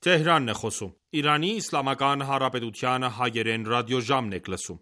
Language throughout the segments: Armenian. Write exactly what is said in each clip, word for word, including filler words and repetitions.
Թեհրանն է խոսում։ Իրանի Իսլամական Հանրապետության հայերեն ռադիոժամն եք լսում։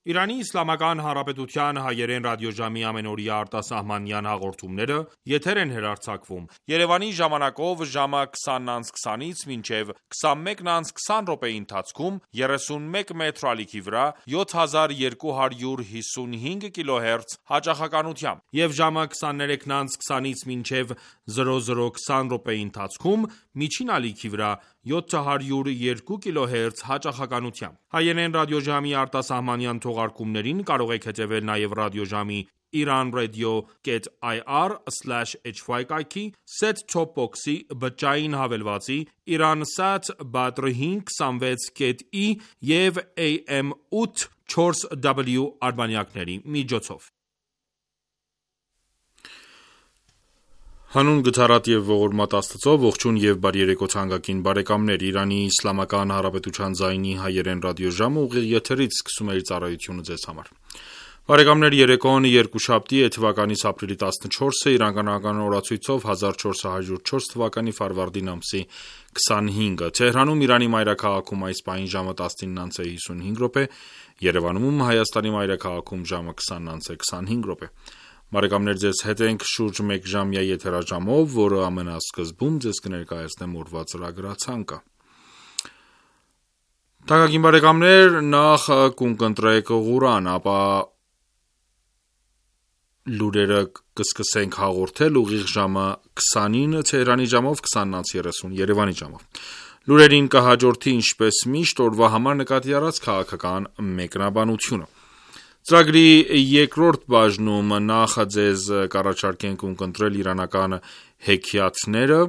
Իրանի Իսլամական Հանրապետության հայերեն ռադիոժամի ամենօրյա արտասահմանյան հաղորդումները եթեր են հեռարձակվում Երևանի ժամանակով ժամը քսանից քսանից մինչև քսանմեկը քսան րոպեի ընթացքում երեսունմեկ մետր ալիքի վրա յոթ հազար երկու հարյուր հիսունհինգ կիլոհերց հաճախականությամբ եւ ժամը քսաներեքը քսանից մինչև զրո զրո քսան րոպեի ընթացքում միջին ալիքի վրա յոթ հարյուր երկու կիլոհերց հաճախականությամբ։ Հայերեն ռադիոժամի արտասահմանյան թողարկումներին կարող եք հետևել նաև ռադիոժամի iranradio.ir slash hy կայքի, set-top box-ի, բջջային հավելվածի, Iransat Badr հինգ հիսունվեց ի և A M ութ չորս W արբանյակների միջոցով։ Հանուն գթառատ եւ ողորմած Աստծո, ողջույն եւ բարի երեկո թանկագին բարեկամներ, Իրանի Իսլամական Հանրապետության ձայնի հայերեն ռադիոժամը ուղիղ եթերից սկսում է իր ծառայությունը ձեզ համար։ Բարեկամներ, երեկոն երկուշաբթի է թվականից ապրիլի տասնչորսը, իրանական օրացույցով հազար չորս հարյուր չորս թվականի ֆարվարդին ամսի քսանհինգը։ Թեհրանում Իրանի մայրաքաղաքում այս պահին ժամը տասնինը հիսունհինգ րոպե, Երևանում Հայաստանի մայրաքաղաքում ժամը քսանը քսանհինգ րոպե։ Բարեկամներ, ձեզ հետ ենք շուրջ մեկ ժամյա եթերաժամով, որը ամենասկզբում ձեզ կներկայացնեմ օրվա ծրագրացանկը։ Թանկագին բարեկամներ, նախ կընտրեք Ղուրան, ապա լուրերը կսկսենք հաղորդել ուղիղ ժամը քսանին Թեհրանի ժամով, քսանից երեսուն Երևանի ժամով։ Լուրերին կհաջորդի ինչպես միշտ օրվա համար նկատի առած քաղաքական մեկնաբանությունը։ Ծրագրի երկրորդ բաժնում նախ ձեզ կառաջարկենք ունկնդրել իրանական հեքիաթները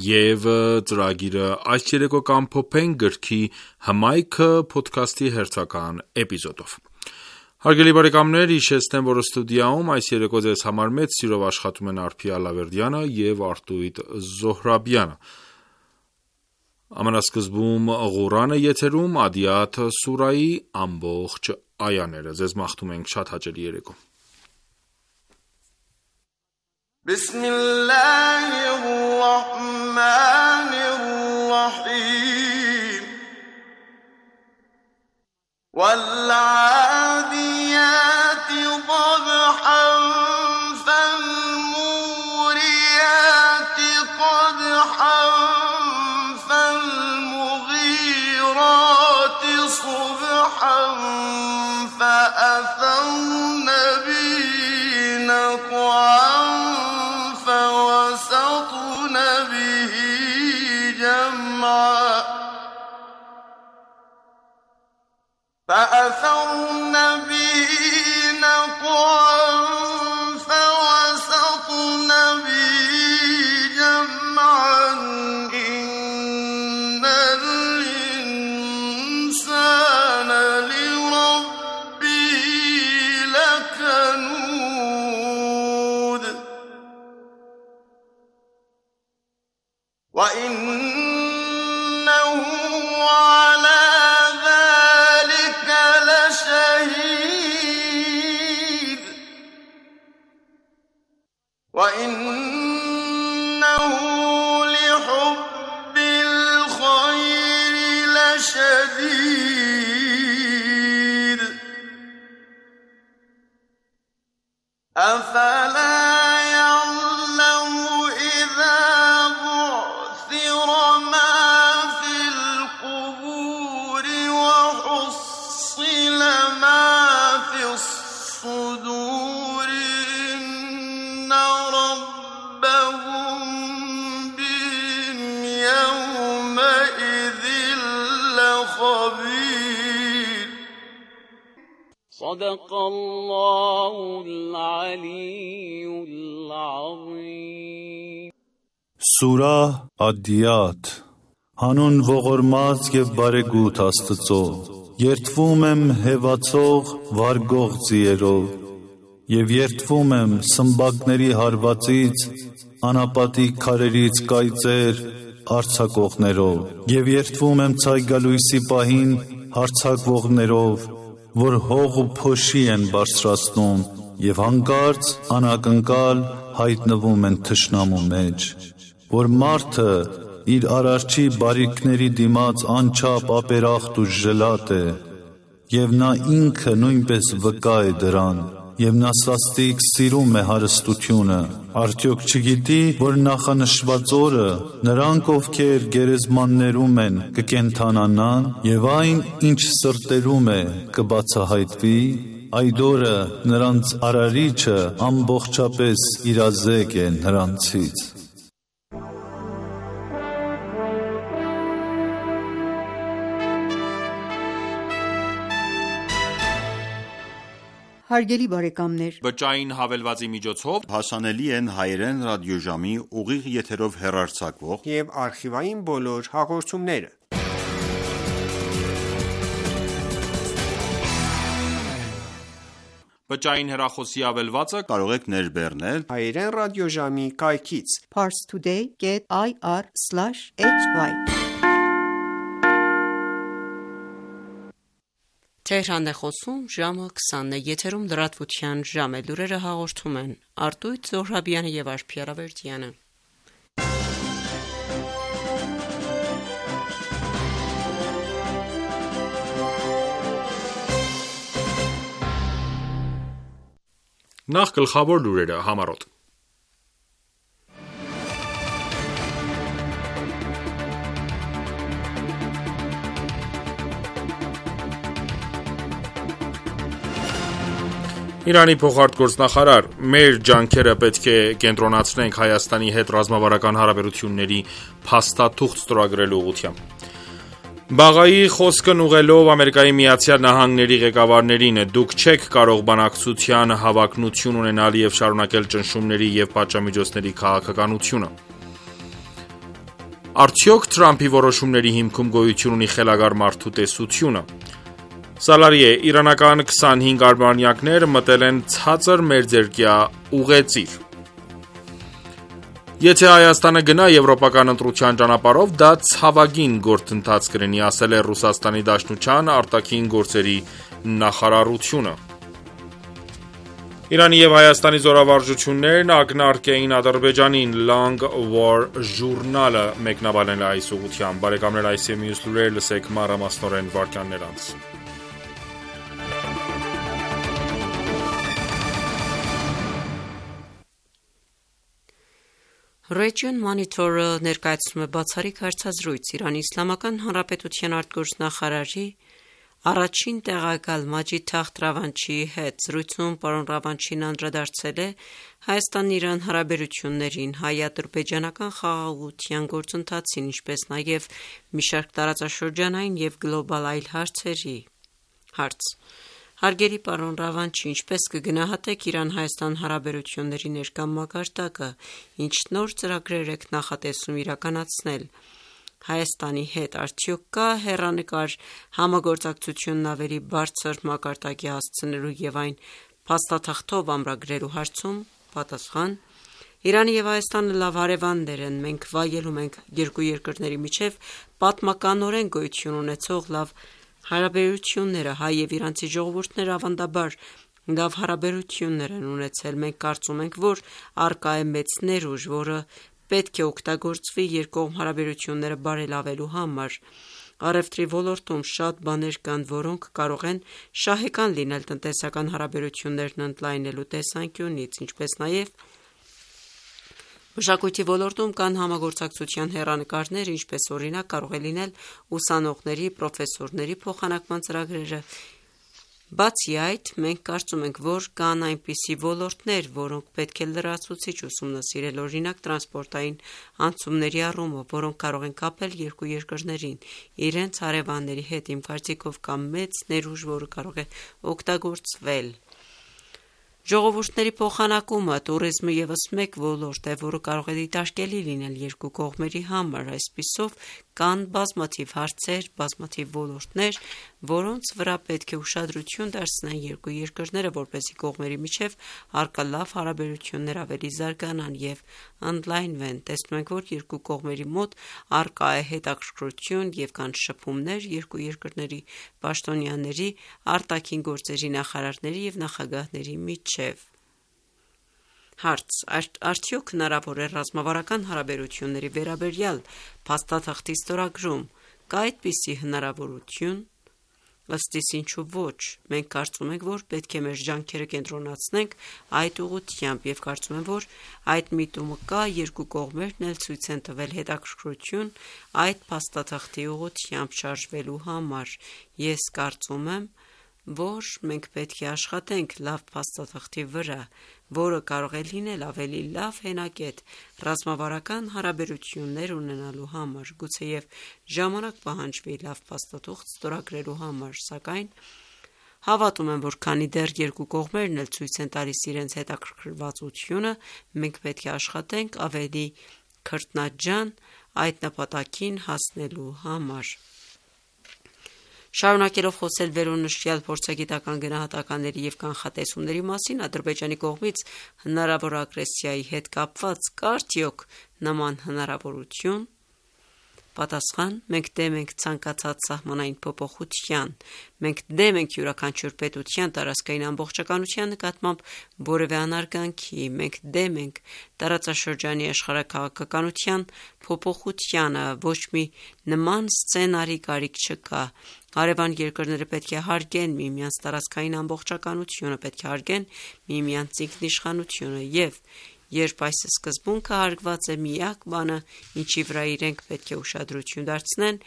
եւ ծրագիրը այս երեկո կամփոփենք գրքի հմայքը ոդքասթի հերթական էպիզոդով։ Հարգելի բարեկամներ, հիշեցնեմ, որ ստուդիայում այս երեկո ձեզ համար մեծ սիրով աշխատում են Արփի Ալավերդյանը եւ Արտույտ Զոհրաբյանը։ Ամենասկզբում Ղուրանը եթերում Ադիաթ սուրայի ամբողջ այաները։ Ձեզ մաղթում ենք շատ հաճելի երեկո։ Բիսմիլլահիռռահմանիռռահիմ Վալ'ադիյաթի ضبحًا فالموريات قدحًا فالمغيرات صبحًا فأثرن به نقعًا فوسطن به جمعًا فأثرن به نقعًا فوسطن به جمعًا إن الإنسان لربه لكنود وإنه على ذلك لشهيد وإنه لحب الخير لشديد أفلا يعلم إذا بعثر ما في القبور صدق الله العلي العظيم Սուրա Ադիաթ Հանուն ողորմած և բարեգութ Աստծո Երդվում եմ հևացող վարգող ձիերով և երդվում եմ սմբակների հարվածից անապատիկ քարերից կայծեր արձակողներով և երդվում եմ ցայգալույսի պահին հարձակվողներով որ հող ու փոշի են բարձրացնում և հանկարծ անակնկալ հայտնվում են թշնամու մեջ որ մարդը իր արարչի բարիքների դիմաց անչափ ապերախտ ու ժլատ է և նա ինքը նույնպես վկա է դրան և նա սաստիկ սիրում է հարստությունը արդյոք չգիտի որ նախանշված օրը նրանք ովքեր գերեզմաններում են կկենդանանան և այն ինչ սրտերում է կբացահայտվի այդ օրը նրանց արարիչը ամբողջապես իրազեկ է նրանցից Հարգելի բարեկամներ, Բջջային հավելվածի միջոցով հասանելի են հայերեն ռադիոժամի ուղիղ եթերով հեռարձակվող և արխիվային բոլոր հաղորդումները։ Բջջային հեռախոսի հավելվածը կարող եք ներբեռնել հայերեն ռադիոժամի կայքից parstoday dot i r slash h y Թեհրան է խոսում ժամը քսանն է, եթերում լրատվության ժամ է, լուրերը հաղորդում են Արտույտ Զոհրաբյանը և Արփի Արավերդյանը։ Նախ գլխավոր լուրերը համառոտ Իրանի փոխարտգործնախարար մեր ջանքերը պետք է կենտրոնացնենք Հայաստանի հետ ռազմավարական հարաբերությունների փաստաթուղթ ստորագրելու ուղղությամբ Բաղայի խոսքն ուղղելով Ամերիկայի Միացյալ Նահանգների ղեկավարներին դուք չեք կարող բանակցության հավակնություն ունենալ և շարունակել ճնշումների և պատժամիջոցների քաղաքականությունը Արդյոք Թրամփի որոշումների հիմքում գոյություն ունի խելագար մարդու տեսությունը Սալարի է, իրանական քսանհինգ արբանյակներ մտել են ցածր մերձերկյա ուղեծիր Եթե Հայաստանը գնա եվրոպական ընտրության ճանապարհով, դա ցավագին գործընթաց կլինի, ասել է Ռուսաստանի Դաշնության արտաքին գործերի նախարարությունը Իրանի և Հայաստանի զորավարժություններն ակնարկեին Ադրբեջանին Long War ժուրնալը մեկնաբանել է այս ուղղությամբ Բարեկամներ այս և մյուս լուրեր լսեք մանրամասնորեն վարքյաններ անց Region Monitor-ը ներկայացնում է բացառիկ հարցազրույց Իրանի Իսլամական Հանրապետության արտգործնախարարի առաջին տեղակալ Մաջիդ Թախտ Ռավանչիի հետ զրույցում պարոն Ռավանչին անդրադարձել է Հայաստան-Իրան հարաբերություններին, հայ-ադրբեջանական խաղաղության գործընթացին, ինչպես նաև մի շարք տարածաշրջանային և գլոբալ այլ հարցերի։ Հարց. Հարգելի պարոն Ռավանչի, ինչպես կգնահատեք Իրան-Հայաստան հարաբերությունների ներկա մակարդակը, ինչ նոր ծրագրեր եք նախատեսում իրականացնել Հայաստանի հետ, արդյոք կա հեռանկար համագործակցությունն ավելի բարձր մակարդակի հասցնելու և այն փաստաթղթով ամրագրելու հարցում։ Պատասխան. Իրանը և Հայաստանը լավ հարևաններ են, մենք վայելում ենք երկու երկրների միջև պատմականորեն գոյություն ունեցող լավ հարաբերությունները, հայ և իրանցի ժողովուրդները ավանդաբար լավ հարաբերություններ են ունեցել, մենք կարծում ենք, որ առկա է մեծ ներուժ, որը պետք է օգտագործվի երկկողմ հարաբերությունները բարելավելու համար։ Առևտրի ոլորտում շատ բաներ կան, որոնք կարող են շահեկան լինել տնտեսական հարաբերություններն ընդլայնելու տեսանկյունից, ինչպես նաև մշակույթի ոլորտում կան համագործակցության հեռանկարներ, ինչպես օրինակ կարող է լինել ուսանողների, պրոֆեսորների փոխանակման ծրագրերը Բացի այդ, մենք կարծում ենք, որ կան այնպիսի ոլորտներ, որոնք պետք է լրացուցիչ ուսումնասիրել, օրինակ տրանսպորտային անցումների առումով, որոնք կարող են կապել երկու երկրներին իրենց հարևանների հետ, իմ կարծիքով կա մեծ ներուժ, որը կարող է օգտագործվել։ Ժողովուրդների փոխանակումը տուրիզմը ևս մեկ ոլորտ է, որը կարող է դիտարկելի լինել երկու կողմերի համար, այսպիսով կան բազմաթիվ հարցեր, բազմաթիվ ոլորտներ, որոնց վրա պետք է ուշադրություն դարձնեն երկու երկրները, որպեսզի կողմերի միջև առկա լավ հարաբերություններ ավելի զարգանան եւ ընդլայնվեն։ Տեսնում ենք, որ երկու կողմերի մոտ առկա է հետաքրքրություն եւ կան շփումներ երկու երկրների պաշտոնյաների, արտաքին գործերի նախարարների եւ նախագահների միջև։ Հարց. Արդյոք հնարավոր է ռազմավարական հարաբերությունների վերաբերյալ փաստաթղթի ստորագրում, կա այդպիսի հնարավորություն։ Ըստ իս ինչու ոչ, մենք կարծում ենք, որ պետք է մեր ջանքերը կենտրոնացնենք այդ ուղղությամբ եւ կարծում եմ, որ այդ միտումը կա, երկու կողմերն էլ ցույց են տվել հետաքրքրություն այդ փաստաթղթի ուղղությամբ շարժվելու համար։ Ես կարծում եմ, որ մենք պետք է աշխատենք լավ փաստաթղթի վրա, որը կարող է լինել ավելի լավ հենակետ ռազմավարական հարաբերություններ ունենալու համար, գուցեև ժամանակ պահանջվի լավ փաստաթուղթ ստորագրելու համար, սակայն հավատում եմ, որ քանի դեռ երկու կողմերն էլ ցույց են տալիս իրենց հետաքրքրվածությունը, մենք պետք է աշխատենք ավելի քրտնաջան այդ նպատակին հասնելու համար։ Շարունակելով խոսել վերոնշյալ փորձագիտական գնահատականների եւ կանխատեսումների մասին, Ադրբեջանի կողմից հնարավոր ագրեսիայի հետ կապված կա արդյոք նման հնարավորություն։ Պատասխան. մենք դեմ ենք ցանկացած սահմանային փոփոխության, մենք դեմ ենք յուրաքանչյուր պետության տարածքային ամբողջականության նկատմամբ որևէ անարգանքի, մենք դեմ ենք տարածաշրջանի աշխարհաքաղաքականության փոփոխությանը, ոչ մի նման սցենարի կարիք չկա։ Հարևան երկրները պետք է հարգեն միմյանց տարածքային ամբողջականությունը, պետք է հարգեն միմյանց ինքնիշխանությունը եւ երբ այս սկզբունքը հարգված է, միակ բանը, ինչի վրա իրենք պետք է ուշադրություն դարձնեն,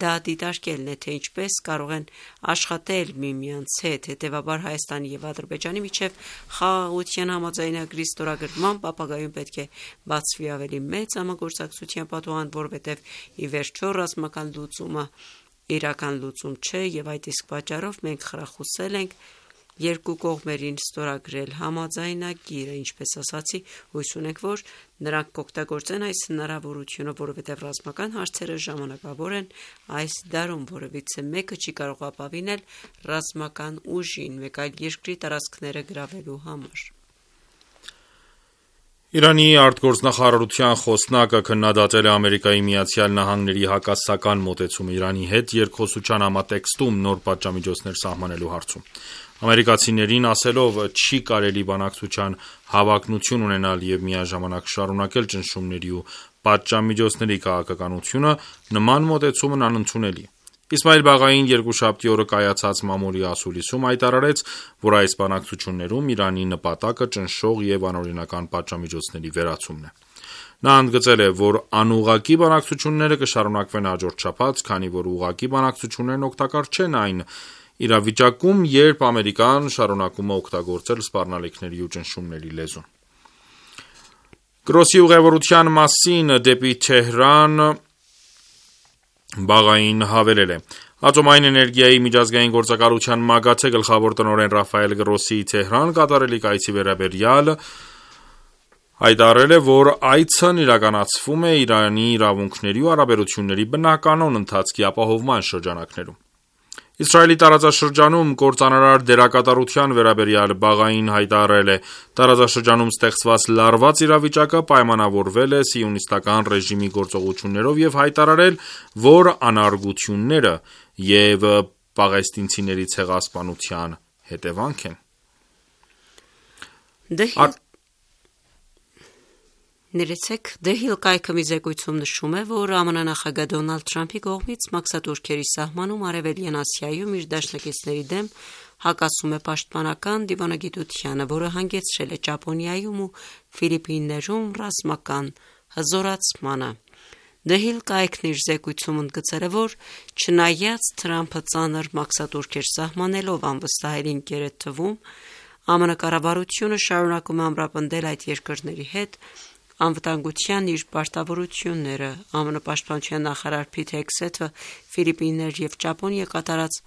դա դիտարկելն է, թե ինչպես կարող են աշխատել միմյանց հետ, հետևաբար Հայաստանի եւ Ադրբեջանի միջև խաղաղության համաձայնագրի ստորագրման ապագայում պետք է բացվի ավելի մեծ համագործակցության պատուհան, որովհետեւ ի վերջո ռազմական լուծումը իրական լուծում չէ եւ այդ իսկ պատճառով մենք խրախուսել ենք երկու կողմերին ստորագրել համաձայնագիրը, ինչպես ասացի, հույս ունենք, որ նրանք կօգտագործեն այս հնարավորությունը, որովհետև ռազմական հարցերը ժամանակավոր են այս դարում, որևիցե մեկը չի կարող ապավինել ռազմական ուժին, մեկ այլ երկրի տարածքները գրավելու համար։ Իրանի արտգործնախարարության խոսնակը քննադատել է Ամերիկայի Միացյալ Նահանգների հակասական մոտեցումը Իրանի հետ երկխոսության համատեքստում նոր պատժամիջոցներ սահմանելու հարցում։ Ամերիկացիներին ասելով չի կարելի բանակցության հավակնություն ունենալ եւ միաժամանակ շարունակել ճնշումների ու պատժամիջոցների քաղաքականությունը, նման մոտեցումն անընդունելի է։ Իսմայիլ Բաղային երկուշաբթի օրը կայացած մամուլի ասուլիսում հայտարարեց, որ այս բանակցություններում Իրանի նպատակը ճնշող եւ անօրինական պատժամիջոցների վերացումն է։ Նա ընդգծել է, որ անուղղակի բանակցությունները կշարունակվեն հաջորդ շաբաթ, քանի որ ուղղակի բանակցություններն օգտակար չեն այն իրավիճակում, երբ Ամերիկան շարունակում է օգտագործել սպառնալիքների ու ճնշումների լեզուն։ Գրոսի ուղևորության մասին դեպի Թեհրան Բաղային հավելել է. Ատոմային էներգիայի միջազգային գործակալության ՄԱԳԱԹԵ գլխավոր տնօրեն Ռաֆայել Գրոսիի Թեհրան կատարելիք այցի վերաբերյալ հայտարարել է, որ այցն իրականացվում է Իրանի իրավունքների ու հարաբերությունների բնականոն ընթացքի ապահովման շրջանակներում։ Իսրայելի տարածաշրջանում կործանարար դերակատարության վերաբերյալ Բաղային հայտարարել է. տարածաշրջանում ստեղծված լարված իրավիճակը պայմանավորվել է սիոնիստական ռեժիմի գործողություններով եւ հայտարարել, որ անարգությունները եւ պաղեստինցիների ցեղասպանության հետևանք են։ Ա- Ներեցեք, Դեհիլ կայքը մի զեկույցում նշում է, որ ԱՄՆ նախագահ Դոնալդ Թրամփի կողմից մաքսատուրքերի սահմանում Արևելյան Ասիայում իր դաշնակիցների դեմ հակասում է պաշտպանական դիվանագիտությանը, որը հանգեցրել է Ճապոնիայում ու Ֆիլիպիններում ռազմական հզորացմանը։ The Hill կայքն իր զեկույցում ընդգծել է, որ չնայած Թրամփը ծանր մաքսատուրք էր սահմանելով անվստահելի ընկեր թվում, ԱՄՆ կառավարությունը շարունակում է ամրապնդել այդ երկրների հետ անվտանգության իր պարտավորությունները։ ԱՄՆ պաշտպանության նախարար Փիթ Հեգսեթը Ֆիլիպիններ և Ճապոնիա կատարած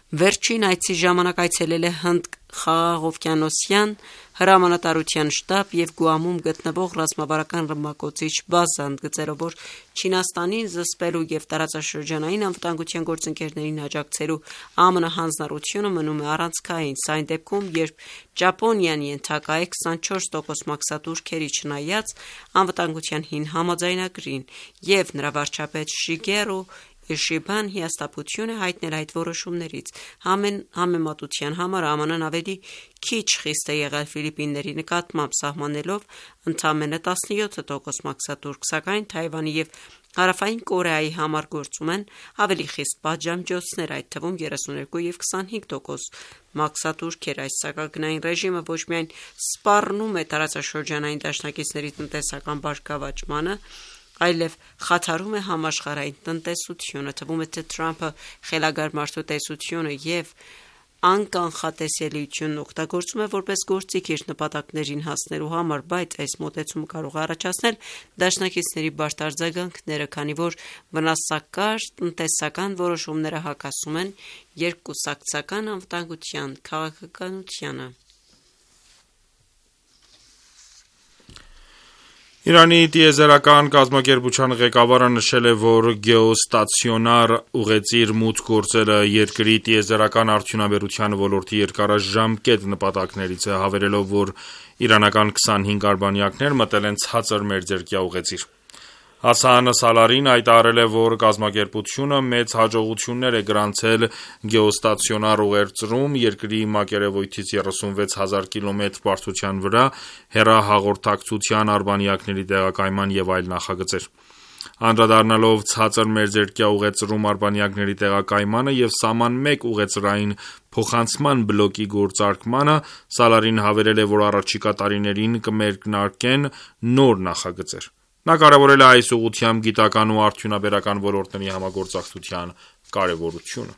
վերջին այցի ժամանակ այցելել է Հնդ խաղաղօվկիանոսյան հրամանատարության շտաբ և Գուամում գտնվող ռազմավարական ռմբակոծիչ բազա, ընդգծելով, որ Չինաստանին զսպելու և տարածաշրջանային անվտանգության գործընկերներին աջակցելու ԱՄՆ հանձնառությունը մնում է առանցքային։ Սա այն դեպքում, երբ Ճապոնիան ենթակա է քսանչորս տոկոս մաքսատուրքերի, չնայած անվտանգության հին համաձայնագրին, և նրա վարչապետ Շիգերո Իշիբան հիասթափություն է հայտնել այդ որոշումներից։ Համեմատության համար ԱՄՆ-ն ավելի քիչ խիստ է եղել Ֆիլիպինների նկատմամբ, սահմանելով ընդամենը տասնյոթ տոկոս մաքսատուրք, սակայն Թայվանի և Հարավային Կորեայի համար գործում են ավելի խիստ պատժամիջոցներ, այդ թվում երեսունյոթ և քսանհինգ տոկոս մաքսատուրքեր։ Այս սակագնային ռեժիմը ոչ միայն սպառնում է տարածաշրջանային դաշնակիցների տնտեսական բարգավաճմանը, այլև խաթարում է համաշխարհային տնտեսությունը։ Թվում է, թե Թրամփը խելագար մարդու տեսությունը և անկանխատեսելիությունն օգտագործում է որպես գործիք իր նպատակներին հասնելու համար, բայց այս մոտեցումը կարող է առաջացնել դաշնակիցների բարդ արձագանքները, քանի որ վնասակար տնտեսական որոշումները հակասում են երկկուսակցական անվտանգության քաղաքականությանը։ Իրանի տիեզերական կազմակերպության ղեկավարը նշել է, որ գեոստացիոնար ուղեծիր մուտք գործելը երկրի տիեզերական արդյունաբերության ոլորտի երկարաժամկետ նպատակներից է, հավելելով, որ իրանական քսանհինգ արբանյակներ մտել են ցածր մերձերկյա ուղեծիր։ Հասան Սալարին հայտարարել է, որ կազմակերպությունը մեծ հաջողություններ է գրանցել գեոստացիոնար ուղեծրում երկրի մակերևույթից երեսունվեց հազար կիլոմետր բարձրության վրա հեռահաղորդակցության արբանյակների տեղակայման և այլ նախագծեր։ Անդրադառնալով ցածր մերձերկյա ուղեծրում արբանյակների տեղակայմանը և սահման մեկ ուղեծրային փոխանցման բլոկի գործարկմանը, Սալարին հավելել է, որ առաջիկա տարիներին կմեկնարկեն նոր նախագծեր։ Նա կարևորել է այս ուղղությամբ գիտական ու արդյունաբերական ոլորտների համագործակցության կարևորությունը։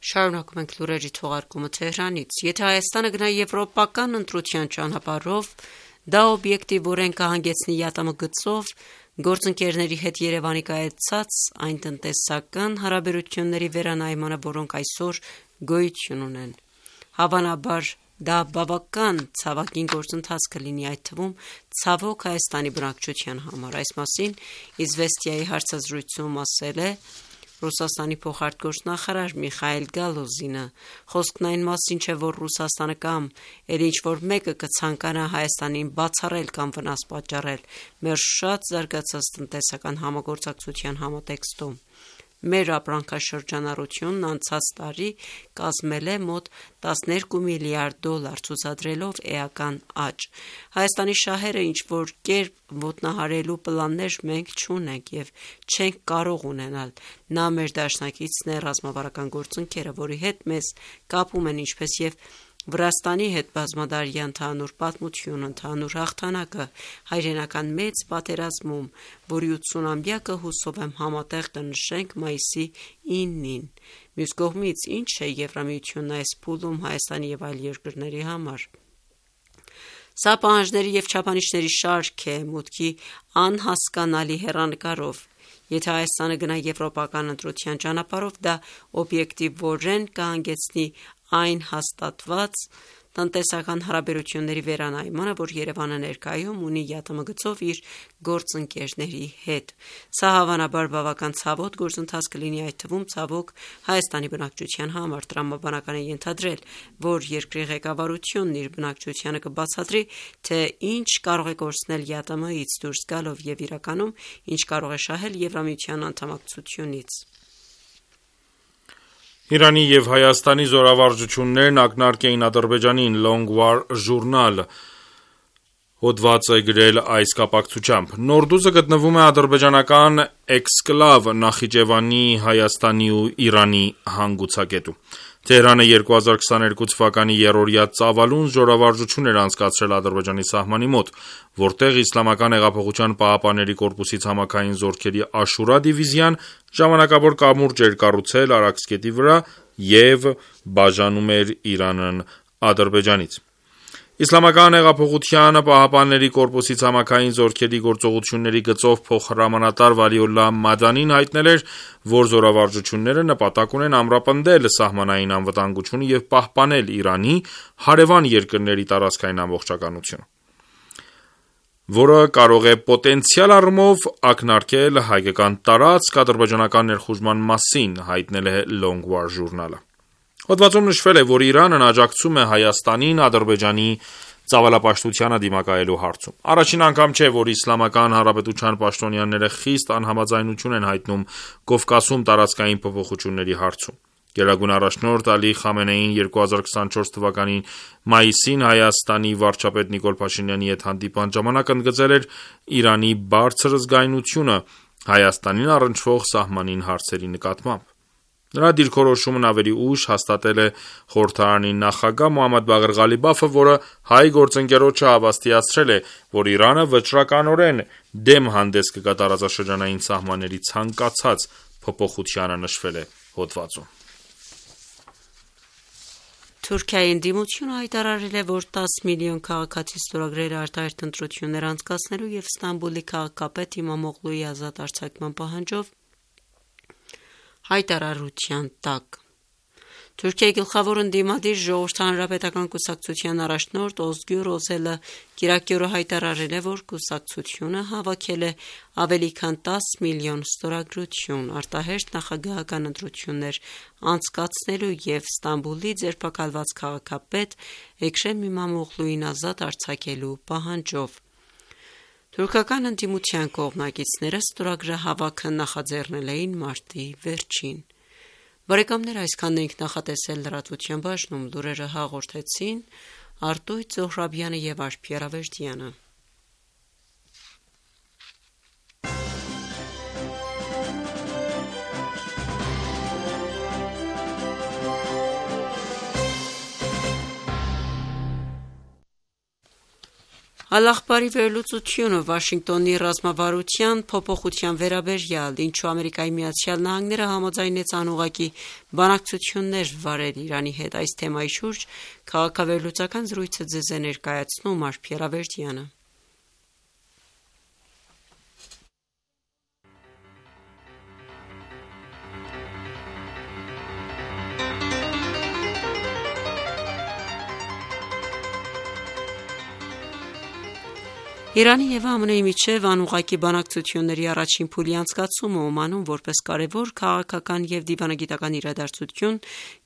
Շարունակում ենք լուրերի թողարկումը Թեհրանից։ Եթե Հայաստանը գնա եվրոպական ընտրության ճանապարհով, դա օբյեկտիվորեն կհանգեցնի ԵԱՏՄ գծով գործընկերների հետ Երևանի կայացած այն տնտեսական հարաբերությունների վերանայմանը, որոնք այսօր գոյություն ունեն։ Հավանաբար դա բավական ցավագին գործընթաց կլինի, այդ թվում ցավոք Հայաստանի բնակչության համար։ Այս մասին Իզվեստիայի հարցազրույցում ասել է Ռուսաստանի փոխարտգործնախարար Միխայել Գալոզինը։ Խոսքն այն մասին չէ, որ Ռուսաստանը կամ էլ ինչ-որ մեկը կցանկանա Հայաստանին բացառել կամ վնաս պատճառել մեր շատ զարգացած տնտեսական համագործակցության համատեքստում։ Մեր ապրանքաշրջանառությունն անցած տարի կազմել է մոտ տասներկու միլիարդ դոլար, ցուցադրելով էական աճ։ Հայաստանի շահերը ինչ-որ կերպ ոտնահարելու պլաններ մենք չունենք և չենք կարող ունենալ։ Նա մեր դաշնակիցն է, ռազմավարական գործընկերը, որի հետ մեզ կապում են ինչպես և Վրաստանի հետ բազմադարյա ընդհանուր պատմություն, ընդհանուր հաղթանակը հայրենական մեծ պատերազմում, որի ութսունամյակը հուսով եմ համատեղ կնշենք մայիսի իննին։ Մյուս կողմից, ինչ է Եվրամիությունն այս փուլում Հայաստանի և այլ երկրների համար։ Սա պահանջների և չափանիշների շարք է մուտքի անհասկանալի հեռանկարով։ Եթե Հայաստանը գնա եվրոպական ընտրության ճանապարհով, դա օբյեկտիվորեն կհանգեցնի այն հաստատված տնտեսական հարաբերությունների վերանայմանը, որ Երևանը ներկայում ունի ԵԱՏՄ գծով իր գործընկերների հետ։ Սա հավանաբար բավական ցավոտ գործընթաց կլինի, այդ թվում ցավոք Հայաստանի բնակչության համար։ Տրամաբանական է ենթադրել, որ երկրի ղեկավարությունն իր բնակչությանը կբացատրի, թե ինչ կարող է կորցնել ԵԱՏՄ-ից դուրս գալով և իրականում ինչ կարող է շահել Եվրամիության անդամակցությունից։ Իրանի և Հայաստանի զորավարժություններն ակնարկ էին Ադրբեջանին, Long War Journal հոդված է գրել այս կապակցությամբ։ Նորդուզը գտնվում է ադրբեջանական էքսկլավ Նախիջևանի, Հայաստանի ու Իրանի հանգուցակետում։ Թեհրանը երկու հազար քսաներկու թվականի երրորդյա ծավալուն զորավարժություն էր անցկացրել Ադրբեջանի սահմանի մոտ, որտեղ Իսլամական հեղափոխության պահապանների կորպուսի ցամաքային զորքերի Աշուրա դիվիզիան ժամանակավոր կամուրջ էր կառուցել Արաքսկետի վրա և բաժանում էր Իրանն Ադրբեջանից։ Իսլամական հեղափոխության պահապանների կորպուսի ցամաքային զորքերի գործողությունների գծով փոխհրամանատար Վալիոլլահ Մադանին հայտնել էր, որ զորավարժությունները նպատակ ունեն ամրապնդել սահմանային անվտանգությունը և պահպանել Իրանի հարևան երկրների տարածքային ամբողջականությունը, որը կարող է պոտենցիալ առումով ակնարկել հայկական տարածք ադրբեջանական ներխուժման մասին, հայտնել է Longwar ժուրնալը։ Հոդվածում նշվել է, որ Իրանն աջակցում է Հայաստանին Ադրբեջանի ծավալապաշտությանը դիմակայելու հարցում։ Առաջին անգամ չէ, որ Իսլամական Հանրապետության պաշտոնյաները խիստ անհամաձայնություն են հայտնում Կովկասում տարածքային փոփոխությունների հարցում։ Գերագույն առաջնորդ Ալի Խամենեին երկու հազար քսանչորս թվականի մայիսին Հայաստանի վարչապետ Նիկոլ Փաշինյանի հետ հանդիպման ժամանակ ընդգծել էր Իրանի բարձր զգայունությունը Հայաստանին առնչվող սահմանին հարցերի նկատմամբ։ Նրա դիրքորոշումն ավելի ուշ հաստատել է խորհրդարանի նախագահ Մոհամմադ Բաղեր Ղալիբաֆը, որը հայ գործընկերոջը հավաստիացրել է, որ Իրանը վճռականորեն դեմ հանդես կգա տարածաշրջանային սահմանների ցանկացած փոփոխությանը, նշվել է հոդվածում։ Թուրքիայի ընդդիմությունը հայտարարել է, որ տասը միլիոն քաղաքացի ստորագրել է արտահերթ ընտրություններ անցկացնելու և Ստամբուլի քաղաքապետ Իմամօղլուի ազատ արձակման պահանջով հայտարարության տակ։ Թուրքիայի գլխավոր ընդդիմադիր Ժողովրդի հանրապետական կուսակցության առաջնորդ Օզգյուր Օզելը կիրակի օրը հայտարարել է, որ կուսակցությունը հավաքել է ավելի քան տասը միլիոն ստորագրություն արտահերթ նախագահական ընտրություններ անցկացնելու և Ստամբուլի ձերբակալված քաղաքապետ Էքրեմ Իմամօղլուին ազատ արձակելու պահանջով։ Թուրքական ընդդիմության կողմնակիցները ստորագրահավաքը նախաձեռնել էին մարտի վերջին։ Բարեկամներ, այսքանն էինք նախատեսել լրատվության բաժնում, լուրերը հաղորդեցին Արտույտ Զոհրաբյանը և Արփի Արավերդյանը։ Ալ-Ախբարի վերլուծությունը Վաշինգտոնի ռազմավարության փոփոխության վերաբերյալ, ինչու Ամերիկայի Միացյալ Նահանգները համաձայնեց անուղղակի բանակցություններ վարել Իրանի հետ, այս թեմայի շուրջ քաղաքավերլուծական զրույցը ձեզ է ներկայացնում Արփի Արավերդյանը։ Իրանի և ԱՄՆ-ի միջև անուղղակի բանակցությունների առաջին փուլի անցկացումը Օմանում որպես կարևոր քաղաքական և դիվանագիտական իրադարձություն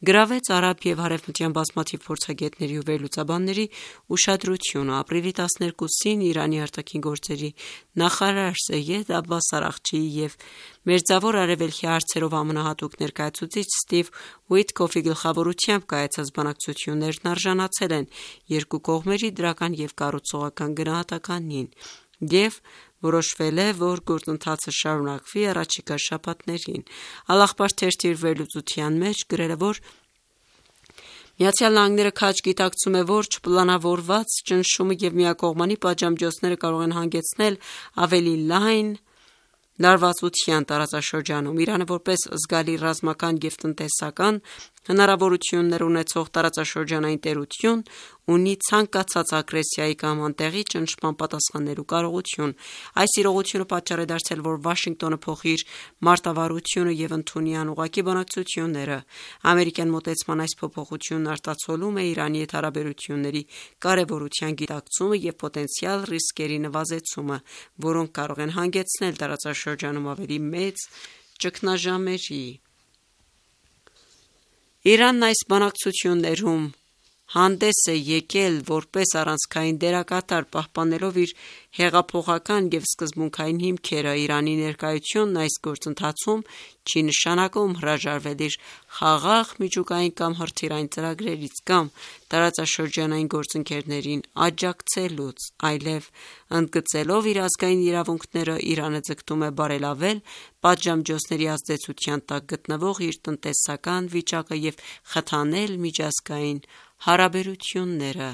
գրավեց արաբ և հարևմտյան բազմաթիվ փորձագետների ու վերլուծաբանների ուշադրությունը։ Ապրիլի տասներկուսին Իրանի արտաքին գործերի նախարար Սեյեդ Աբբաս Արաղչիի և Մերձավոր Արևելքի հարցերով ամենահատուկ ներկայացուցիչ Սթիվ Ուիթքոֆի գլխավորությամբ կայացած բանակցություններն արժանացել են երկու կողմերի դրական և կառուցողական գնահատականին և որոշվել է, որ գործընթացը շարունակվի առաջիկա շաբաթներին։ Ալ-Ախբար թերթի իր վերլուծության մեջ գրել է, որ Միացյալ Նահանգները քաջ գիտակցում է, որ չպլանավորված ճնշումը և միակողմանի պատժամիջոցները կարող են հանգեցնել ավելի լայն լարվածության տարածաշրջանում։ Իրանը որպես զգալի ռազմական և տնտեսական հնարավորություններ ունեցող տարածաշրջանային տերություն ունի ցանկացած ագրեսիայի կամ անտեղի ճնշման պատասխանելու կարողություն։ Այս իրողությունը պատճառ է դարձել, որ Վաշինգտոնը փոխի իր մարտավարությունը և ընդունի անուղղակի բանակցությունները։ Ամերիկյան մոտեցման այս փոփոխությունն արտացոլում է Իրանի հետ հարաբերությունների կարևորության գիտակցումը և պոտենցիալ ռիսկերի նվազեցումը, որոնք կարող են հանգեցնել տարածաշրջանում ավելի մեծ ճգնաժամերի։ Իրանն այս բանակցություններում հանդես է եկել որպես առանցքային դերակատար, պահպանելով իր հեղափոխական և սկզբունքային հիմքերը։ Իրանի ներկայությունն այս գործընթացում չի նշանակում հրաժարվել իր խաղաղ, միջուկային կամ հրթիռային ծրագրերից կամ տարածաշրջանային գործընկերներին աջակցելուց, այլև ընդգծելով իր ազգային իրավունքները, Իրանը ձգտում է բարելավել պատժամիջոցների ազդեցության տակ գտնվող իր տնտեսական վիճակը և խթանել միջազգային հարաբերությունները։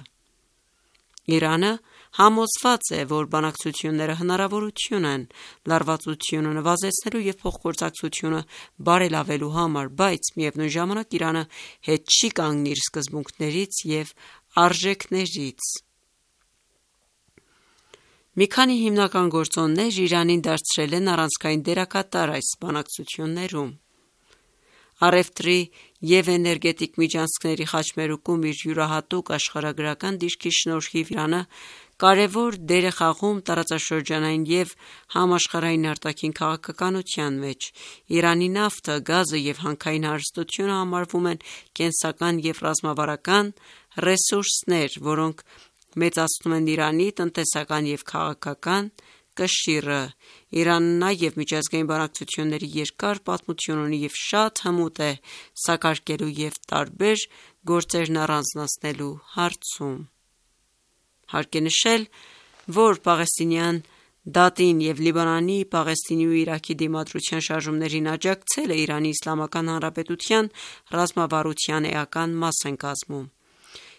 Իրանը համոզված է, որ բանակցությունները հնարավորություն են լարվածությունը նվազեցնելու և փոխգործակցությունը բարելավելու համար, բայց միևնույն ժամանակ Իրանը հետ չի կանգնի իր սկզբունքներից և արժեքներից։ Մի քանի հիմնական գործոններ Իրանին դարձրել են առանցքային դերակատար այս բանակցություններում։ Առևտրի և էներգետիկ միջանցքների խաչմերուկում իր յուրահատուկ աշխարհագրական դիրքի շնորհիվ Իրանը կարևոր դեր է խաղում տարածաշրջանային և համաշխարհային արտաքին քաղաքականության մեջ։ Իրանի նավթը, գազը և հանքային հարստությունը համարվում են կենսական և ռազմավարական ռեսուրսներ, որոնք մեծացնում են Իրանի տնտեսական և քաղաքական կշիռը։ Իրանը նաև միջազգային բանակցությունների երկար պատմություն ունի և շատ հմուտ է սակարկելու և տարբեր գործերն առանձնացնելու հարցում։ Հարկ է նշել, որ պաղեստինյան դատին և Լիբանանի, Պաղեստինի ու Իրաքի դիմադրության շարժումներին աջակցելը Իրանի Իսլամական Հանրապետության ռազմավարության էական մաս են կազմում։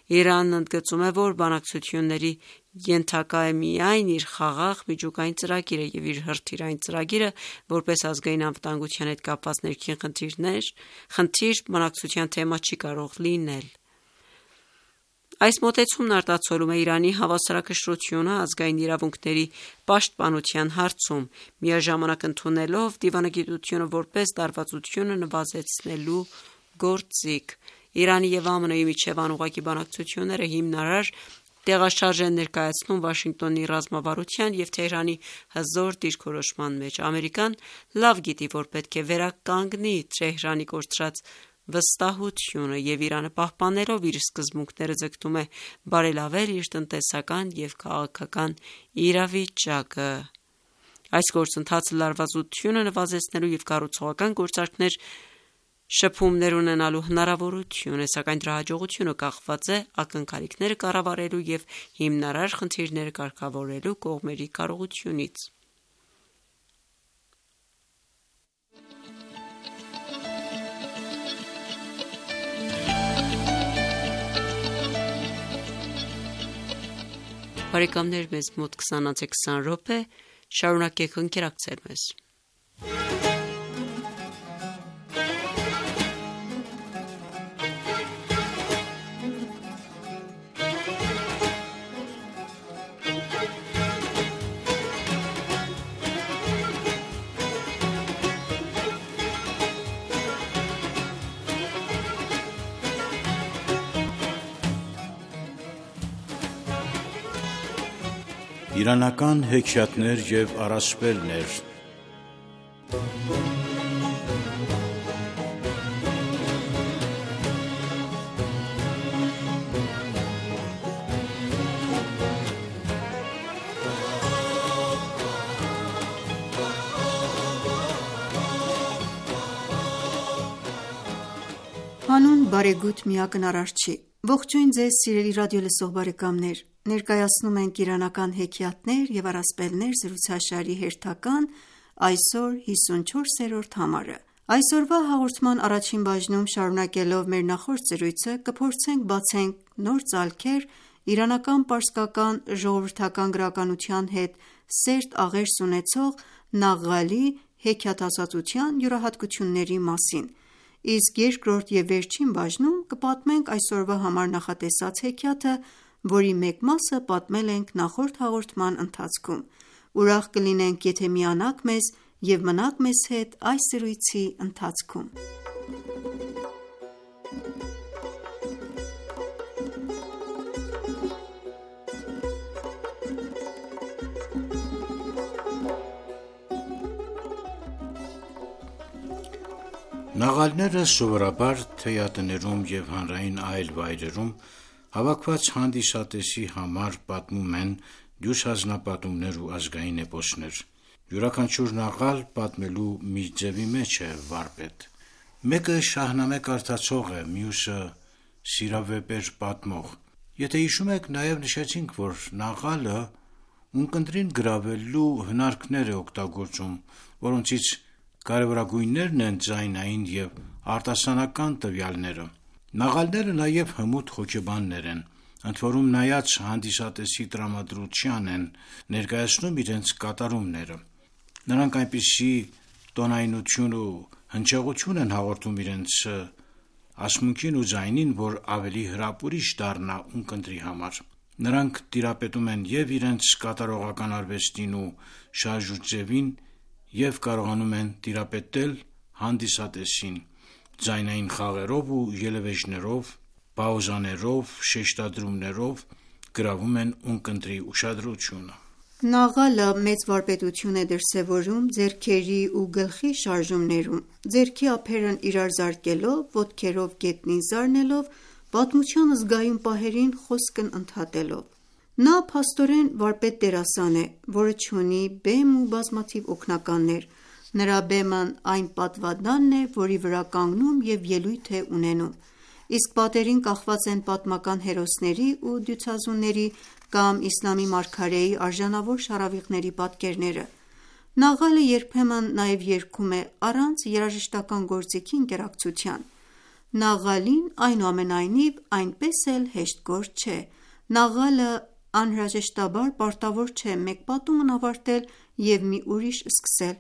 Իրանն ընդգծում է, որ բանակցությունների ենթակա է միայն իր խաղաղ, միջուկային ծրագիրը և իր հրթիռային ծրագիրը որպես ազգային անվտանգության հետ կապված ներքին խնդիր բանակցության թեմա չի կարող լինել։ Այս մոտեցումն արտացոլում է Իրանի հավասարակշռությունը ազգային իրավունքների պաշտպանության հարցում, միաժամանակ ընդունելով դիվանագիտությունը որպես լարվածությունը նվազեցնելու գործիք։ Իրանի և ԱՄՆ-ի միջև անուղղակի բանակցությունները հիմնարար տեղաշարժ են ներկայացնում Վաշինգտոնի ռազմավարության և Թեհրանի հզոր դիրքորոշման մեջ։ Ամերիկան լավ գիտի, որ պետք է վերականգնի Թեհրանի կորցրած վստահությունը, և Իրանը պահպանելով իր սկզբունքները ձգտում է բարելավել իր տնտեսական և քաղաքական իրավիճակը։ Այս գործընթացը լարվածությունը նվազեցնելու և կառուցողական գործարքներ շփումներ ունենալու հնարավորություն է, սակայն դրա հաջողությունը կախված է ակնկալիքները կառավարելու և հիմնարար խնդիրները կարգավորելու կողմերի կարողությունից։ Բարեկամներ, մեզ մոտ քսանից քսան րոպե, շարունակեք ընկերակցել մեզ։ Իրանական հեքիաթներ և առասպելներ։ Հանուն բարեգութ միակնարար չի։ Ողջույն ձեզ սիրելի ռադիոլսող բարեկամներ։ Ներկայացնում ենք իրանական հեքիաթներ և առասպելներ զրուցաշարի հերթական, այսօր հիսունչորսերորդ համարը։ Այսօրվա հաղորդման առաջին բաժնում, շարունակելով մեր նախորդ զրույցը, կփորձենք բացենք նոր ծալքեր իրանական պարսկական ժողովրդական գրականության հետ սերտ աղերս ունեցող Նաղղալի հեքիաթասացության յուրահատկությունների մասին, իսկ երկրորդ և վերջին բաժնում կպատմենք այսօրվա համար նախատեսած հեքիաթը, որի մեկ մասը պատմել ենք նախորդ հաղորդման ընթացքում։ Ուրախ կլինենք, եթե միանաք մեզ և մնաք մեզ հետ այս զրույցի ընթացքում։ Նաղալները սովորաբար թեյատներում և հանրային այլ վայրերում հավաքված հանդիսատեսի համար պատմում են դյուս հանձնապատումներ ու ազգային էպոսներ։ Յուրաքանչյուր նաղալ պատմելու մի ձևի մեջ է վարպետ։ Մեկը շահնամե կարդացող է, մյուսը սիրավեպեր պատմող։ Եթե հիշում եք, նաև նշեցինք, որ նաղալը ունկնդրին գրավելու հնարքներ է օգտագործում, որոնցից կարևորագույններն են ձայնային և արտասանական տվյալները։ Նաղալները նաև հմուտ հոգեբաններ են, ընդ որում նայած հանդիսատեսի տրամադրության են ներկայացնում իրենց կատարումները։ Նրանք այնպիսի տոնայնություն ու հնչեղություն են հաղորդում իրենց ասմունքին ու ձայնին, որ ավելի հրապուրիչ դառնա ունկնդրի համար։ Նրանք տիրապետում են և իրենց կատարողական արվեստին ու շարժուձևին և կարողանում են տիրապետել հանդիսատեսին ձայնային խաղերով ու ելևէջներով, պաուզաներով, շեշտադրումներով գրավում են ունկնդրի ուշադրությունը։ Նաղալը մեծ վարպետություն է դրսևորում ձեռքերի ու գլխի շարժումներում, ձեռքի ափերն իրար զարկելով, ոտքերով գետնին զարնելով, պատմության զգայուն պահերին խոսքն ընդհատելով։ Նա փաստորեն վարպետ դերասան է, որը չունի բեմ ու բազմաթիվ օգնականներ։ Նրա բեմն այն պատվադանն է, որի վրա կանգնում և ելույթ է ունենում, իսկ պատերին կախված են պատմական հերոսների ու դյուցազունների կամ իսլամի մարգարեի արժանավոր շառավիղների պատկերները։ Նաղալը երբեմն նաև երգում է առանց երաժշտական գործիքի ինտերակցիան։ Նաղալին, այնուամենայնիվ, այնպես էլ հեշտ գործ չէ։ Նաղալը անհրաժեշտաբար պարտավոր չէ մեկ պատումն ավարտել և մի ուրիշ սկսել։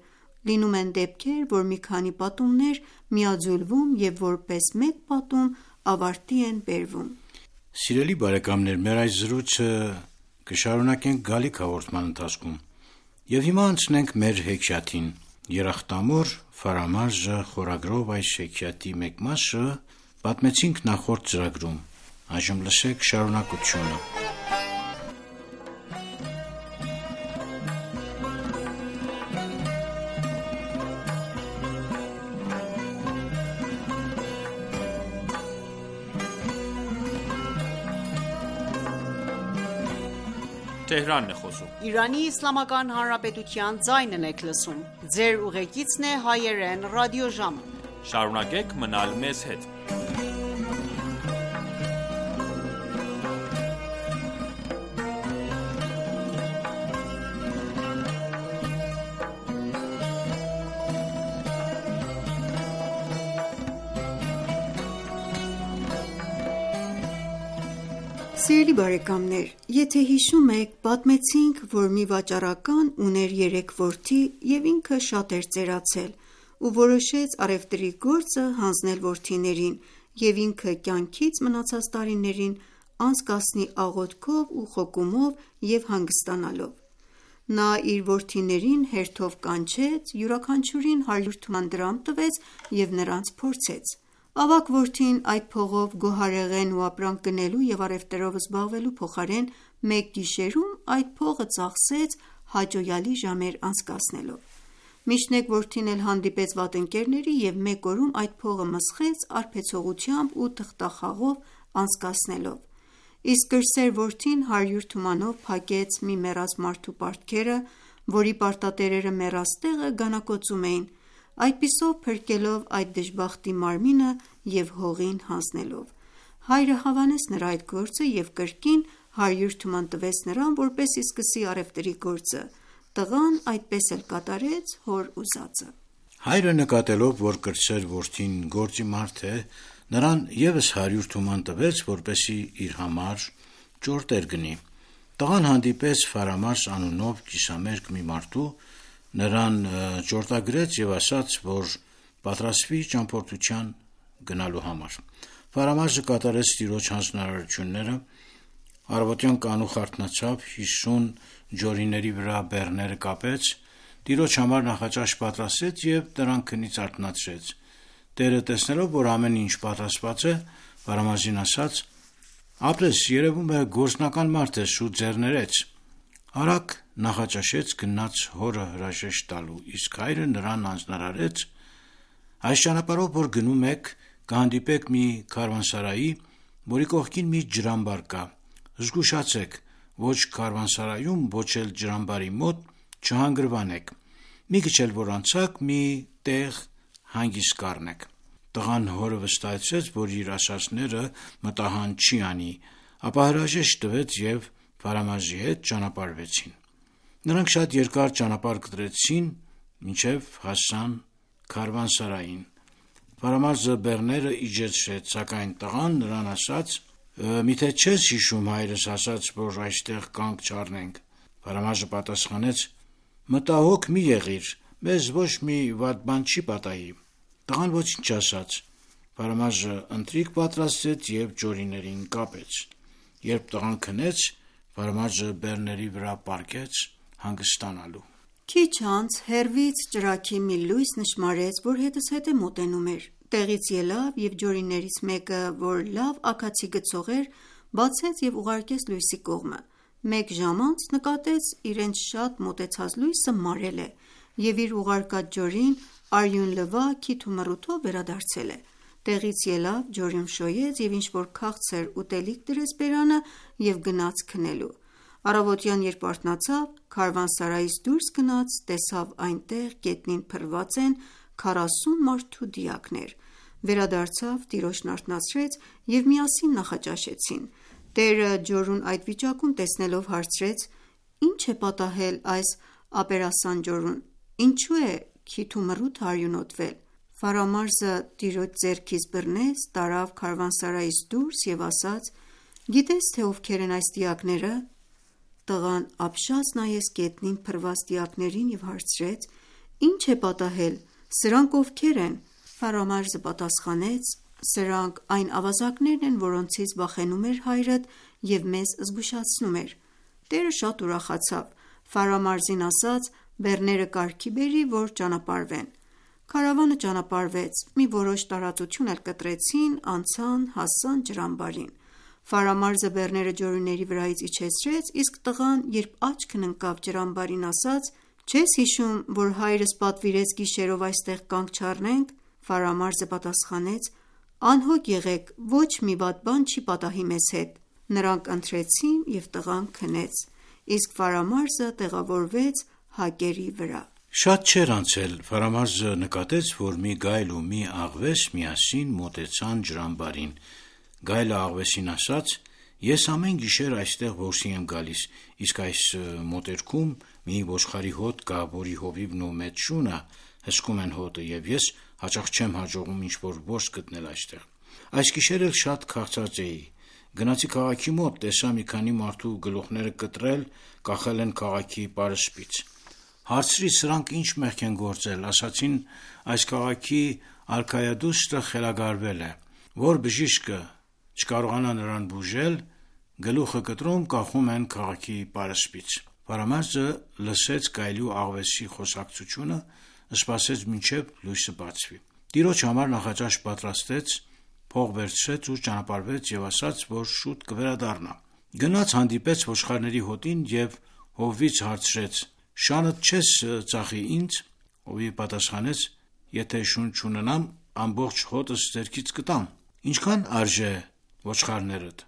Լինում են դեպքեր, որ մի քանի պատումներ միաձուլվում և որպես մեկ պատում ավարտի են բերվում։ Սիրելի բարեկամներ, մեր այս զրույցը կշարունակենք գալիք հաղորդման ընթացքում։ Եվ հիմա անցնենք մեր հեքիաթին։ Երախտամոռ Ֆարամարզը խորագրով այս հեքիաթի մեկ մասը պատմեցինք նախորդ ծրագրում։ Այժմ լսեք շարունակությունը։ Տեհրանն է խոսում։ Իրանի Իսլամական Հանրապետության ձայնն եք լսում։ Ձեր ուղեկիցն է հայերեն ռադիոժամը։ Շարունակեք մնալ մեզ հետ։ Սիրելի բարեկամներ, եթե հիշում եք, պատմեցինք, որ մի վաճառական ուներ երեք որդի և ինքը շատ էր ծերացել ու որոշեց առևտրի գործը հանձնել որդիներին և ինքը կյանքից մնացած տարիներին անցկացնի աղոթքով ու խոկումով և հանգստանալով։ Նա իր որդիներին հերթով կանչեց, յուրաքանչյուրին հարյուր թման դրամ տվեց և նրանց փորձեց։ Ավագ որդին այդ փողով գոհարեղեն ու ապրանք գնելու և առևտրով զբաղվելու փոխարեն մեկ գիշերում այդ փողը ծախսեց հաճոյալի ժամեր անցկացնելով։ Միշտ որդին էլ հանդիպեց վատընկերների և մեկ օրում այդ փողը մսխեց արբեցողությամբ ու թղթախաղով անցկացնելով։ Իսկ կրսեր որդին հարյուր թումանով փակեց մի մեռած մարդու պարտքերը, որի պարտատերերը մեռած տեղը գանակոծում էին, այդպիսով փրկելով այդ դժբախտի մարմինը և հողին հանձնելով։ Հայրը հավանեց նրա այդ գործը և կրկին հարյուր թուման տվեց նրան, որպեսզի սկսի առևտրի գործը։ Տղան այդպես էլ կատարեց հոր ուզածը։ Հայրը նկատելով, որ կրտսեր որդին գործի մարդ է, նրան ևս հարյուր թուման տվեց, որպեսզի իր համար ճորտեր գնի։ Տղան հանդիպեց Ֆարամարզ անունով կիսամերկ մի մարդու, նրան ճորտագրեց և ասաց, որ պատրաստվի ճամփորդության գնալու համար։ Ֆարամարզը կատարեց տիրոջ հանձնարարությունները, առավոտյան կանուխ արթնացավ, հիսուն ջորիների վրա բեռները կապեց, տիրոջ համար նախաճաշ պատրաստեց և նրան քնից արթնացրեց։ Տերը տեսնելով, որ ամեն ինչ պատրաստված է, Ֆարամարզին ասաց. «Ապրես, երևում է գործնական մարդ ես, շուտ ձեռներեց»։ Արագ նախաճաշեց գնաց հորը հրաժեշտ տալու, իսկ հայրը նրան հանձնարարեց. «Այս ճանապարհով, որ գնում եք, կհանդիպեք մի քարավանսարայի, որի կողքին մի ջրամբար կա։ Զգուշացեք, ոչ քարվանսարայում, ոչ էլ ջրամբարի մոտ չհանգրվանեք։ Մի քիչ էլ որ անցաք, մի տեղ հանգիստ կառնեք։ Տղան հորը վստահեցրեց, որ իր ասածները մտահան չի անի, ապա հրաժեշտ տվեց և Ֆարամազի հետ ճանապարհվեցին։ Նրանք շատ երկար ճանապարհ կտրեցին, մինչև հասան քարվանսարային։ Ֆարամազը բեռները իջեցրեց, սակայն տղան նրան ասաց. «Միթե չես հիշում հայրս ասաց, որ այստեղ կանգ չառնենք»։ Ֆարամազը պատասխանեց. «Մտահոգ մի եղիր, մեզ ոչ մի վատ բան չի պատահի»։ Տղան ոչինչ ասաց։ Ֆարամազը ընթրիք պատրաստեց և ջորիներին կապեց։ Երբ տղան քնեց, Ֆարամազը բեռների վրա պառկեց հանգստանալու։ Քիչ անց հեռվից ճրագի մի լույս նշմարեց, որ հետզհետե մոտենում էր։ Տեղից ելավ և ջորիներից մեկը, որ լավ աքացի գցող էր, բացեց և ուղարկեց լույսի կողմը։ Մեկ ժամ անց նկատեց իրենց շատ մոտեցած լույսը մարել է, և իր ուղարկած ջորին արյունլվա քիթ ու մռութով վերադարձել է։ Տեղից ելավ, ջորին շոյեց և ինչ-որ քաղցր ուտելիք դրեց բերանը և գնաց քնելու։ Առավոտյան երբ արթնացավ, քարվանսարայից դուրս գնաց, տեսավ այնտեղ գետնին փռված են քառասուն մարդու դիակներ։ Վերադարձավ, տիրոջն արթնացրեց և միասին նախաճաշեցին։ Տերը ջորուն այդ վիճակում տեսնելով հարցրեց. «Ի՞նչ է պատահել այս ապերասան ջորուն, ինչու է քիթ ու մռութը արյունոտվել»։ Ֆարամազը տիրոջ ձեռքից բռնեց, տարավ քարվանսարայից դուրս և ասաց. «Գիտե՞ս, թե ովքեր են այս դիակները»։ Տղան ապշած նայեց գետնին փռված դիակներին և հարցրեց. «Ի՞նչ է պատահել, սրանք ովքեր են»։ Ֆարամազը պատասխանեց. «Սրանք այն ավազակներն են, որոնցից վախենում էր հայրդ և մեզ զգուշացնում էր»։ Տերը շատ ուրախացավ։ Ֆարամազին ասաց. «Բեռները կարգի բերի, որ ճանապարհվեն»։ Քարավանը ճանապարհվեց, մի որոշ տարածություն էլ կտրեցին, անցան, հասան ջրամբարին։ Ֆարամազը բեռները ջորիների վրայից իջեցրեց, իսկ տղան, երբ աչքն ընկավ ջրամբարին, ասաց. «Չես հիշում, որ հայրս պատվիրեց գիշերով այստեղ կանգ չառնենք»։ Ֆարամազը պատասխանեց. «Անհոգ եղեք, ոչ մի վատ բան չի պատահի մեզ հետ»։ Նրանք ընթրեցին և տղան քնեց, իսկ Ֆարամազը տեղավորվեց հակերի վրա։ Շատ չէր անցել, Ֆարամազը նկատեց, որ մի գայլ ու մի աղվես միասին մոտեցան ջրամբարին։ Գայլը աղվեսին ասաց. «Ես ամեն գիշեր այստեղ որսի եմ գալիս, իսկ այս մոտերքում մի ոչխարի հոտ կա, որի հովիվն ու մեծ շունը հսկում են հոտը, և ես հաճախ չեմ հաջողում ինչ-որ որս գտնել այստեղ։ Այս գիշեր էլ շատ քաղցած էի։ Գնացի քաղաքի մոտ, տեսա մի քանի մարդու գլուխները կտրել, կախել են քաղաքի պարսպից։ Հարցրի, սրանք ինչ մեղք են գործել։ Ասացին, այս քաղաքի արքայադուստրը խելագարվել է, որ բժիշկը չկարողանա նրան բուժել, գլուխը կտրում, կախում են քաղաքի պարսպից։ Ֆարամազը լսեց գայլի ու աղվեսի խոսակցությունը, սպասեց մինչև լույսը բացվի։ Տիրոջ համար նախաճաշ պատրաստեց, փող վերցրեց ու ճանապարհվեց և ասաց, որ շուտ կվերադառնա։ Գնաց հանդիպեց ոչխարների հոտին և հովվից հարցրեց. «Շանդ չես ծախի ինձ»։ Հովիվը պատասխանեց. «Եթե շուն չունենամ, ամբողջ հոտս ձեռքից կտամ»։ «Ինչքան արժե ոչխարներդ»։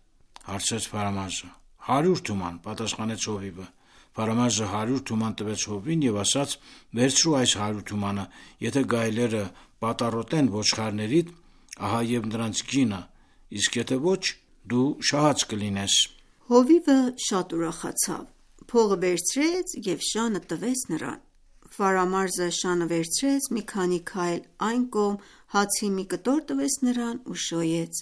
հարցրեց Ֆարամազը։ «Հարյուր թուման», պատասխանեց հովիվը։ Ֆարամազը հարյուր թուման տվեց հովվին և ասաց. «Վերցրու այս հարյուր թումանը, եթե գայլերը պատառոտեն ոչխարներիդ, ահա և նրանց գինը, իսկ եթե ոչ, դու շահած կլինես»։ Հովիվը շատ ուրախացավ, փողը վերցրեց և շանը տվեց նրան։ Ֆարամազը շանը վերցրեց, մի քանի քայլ այն կողմ, հացի մի կտոր տվեց նրան ու շոյեց։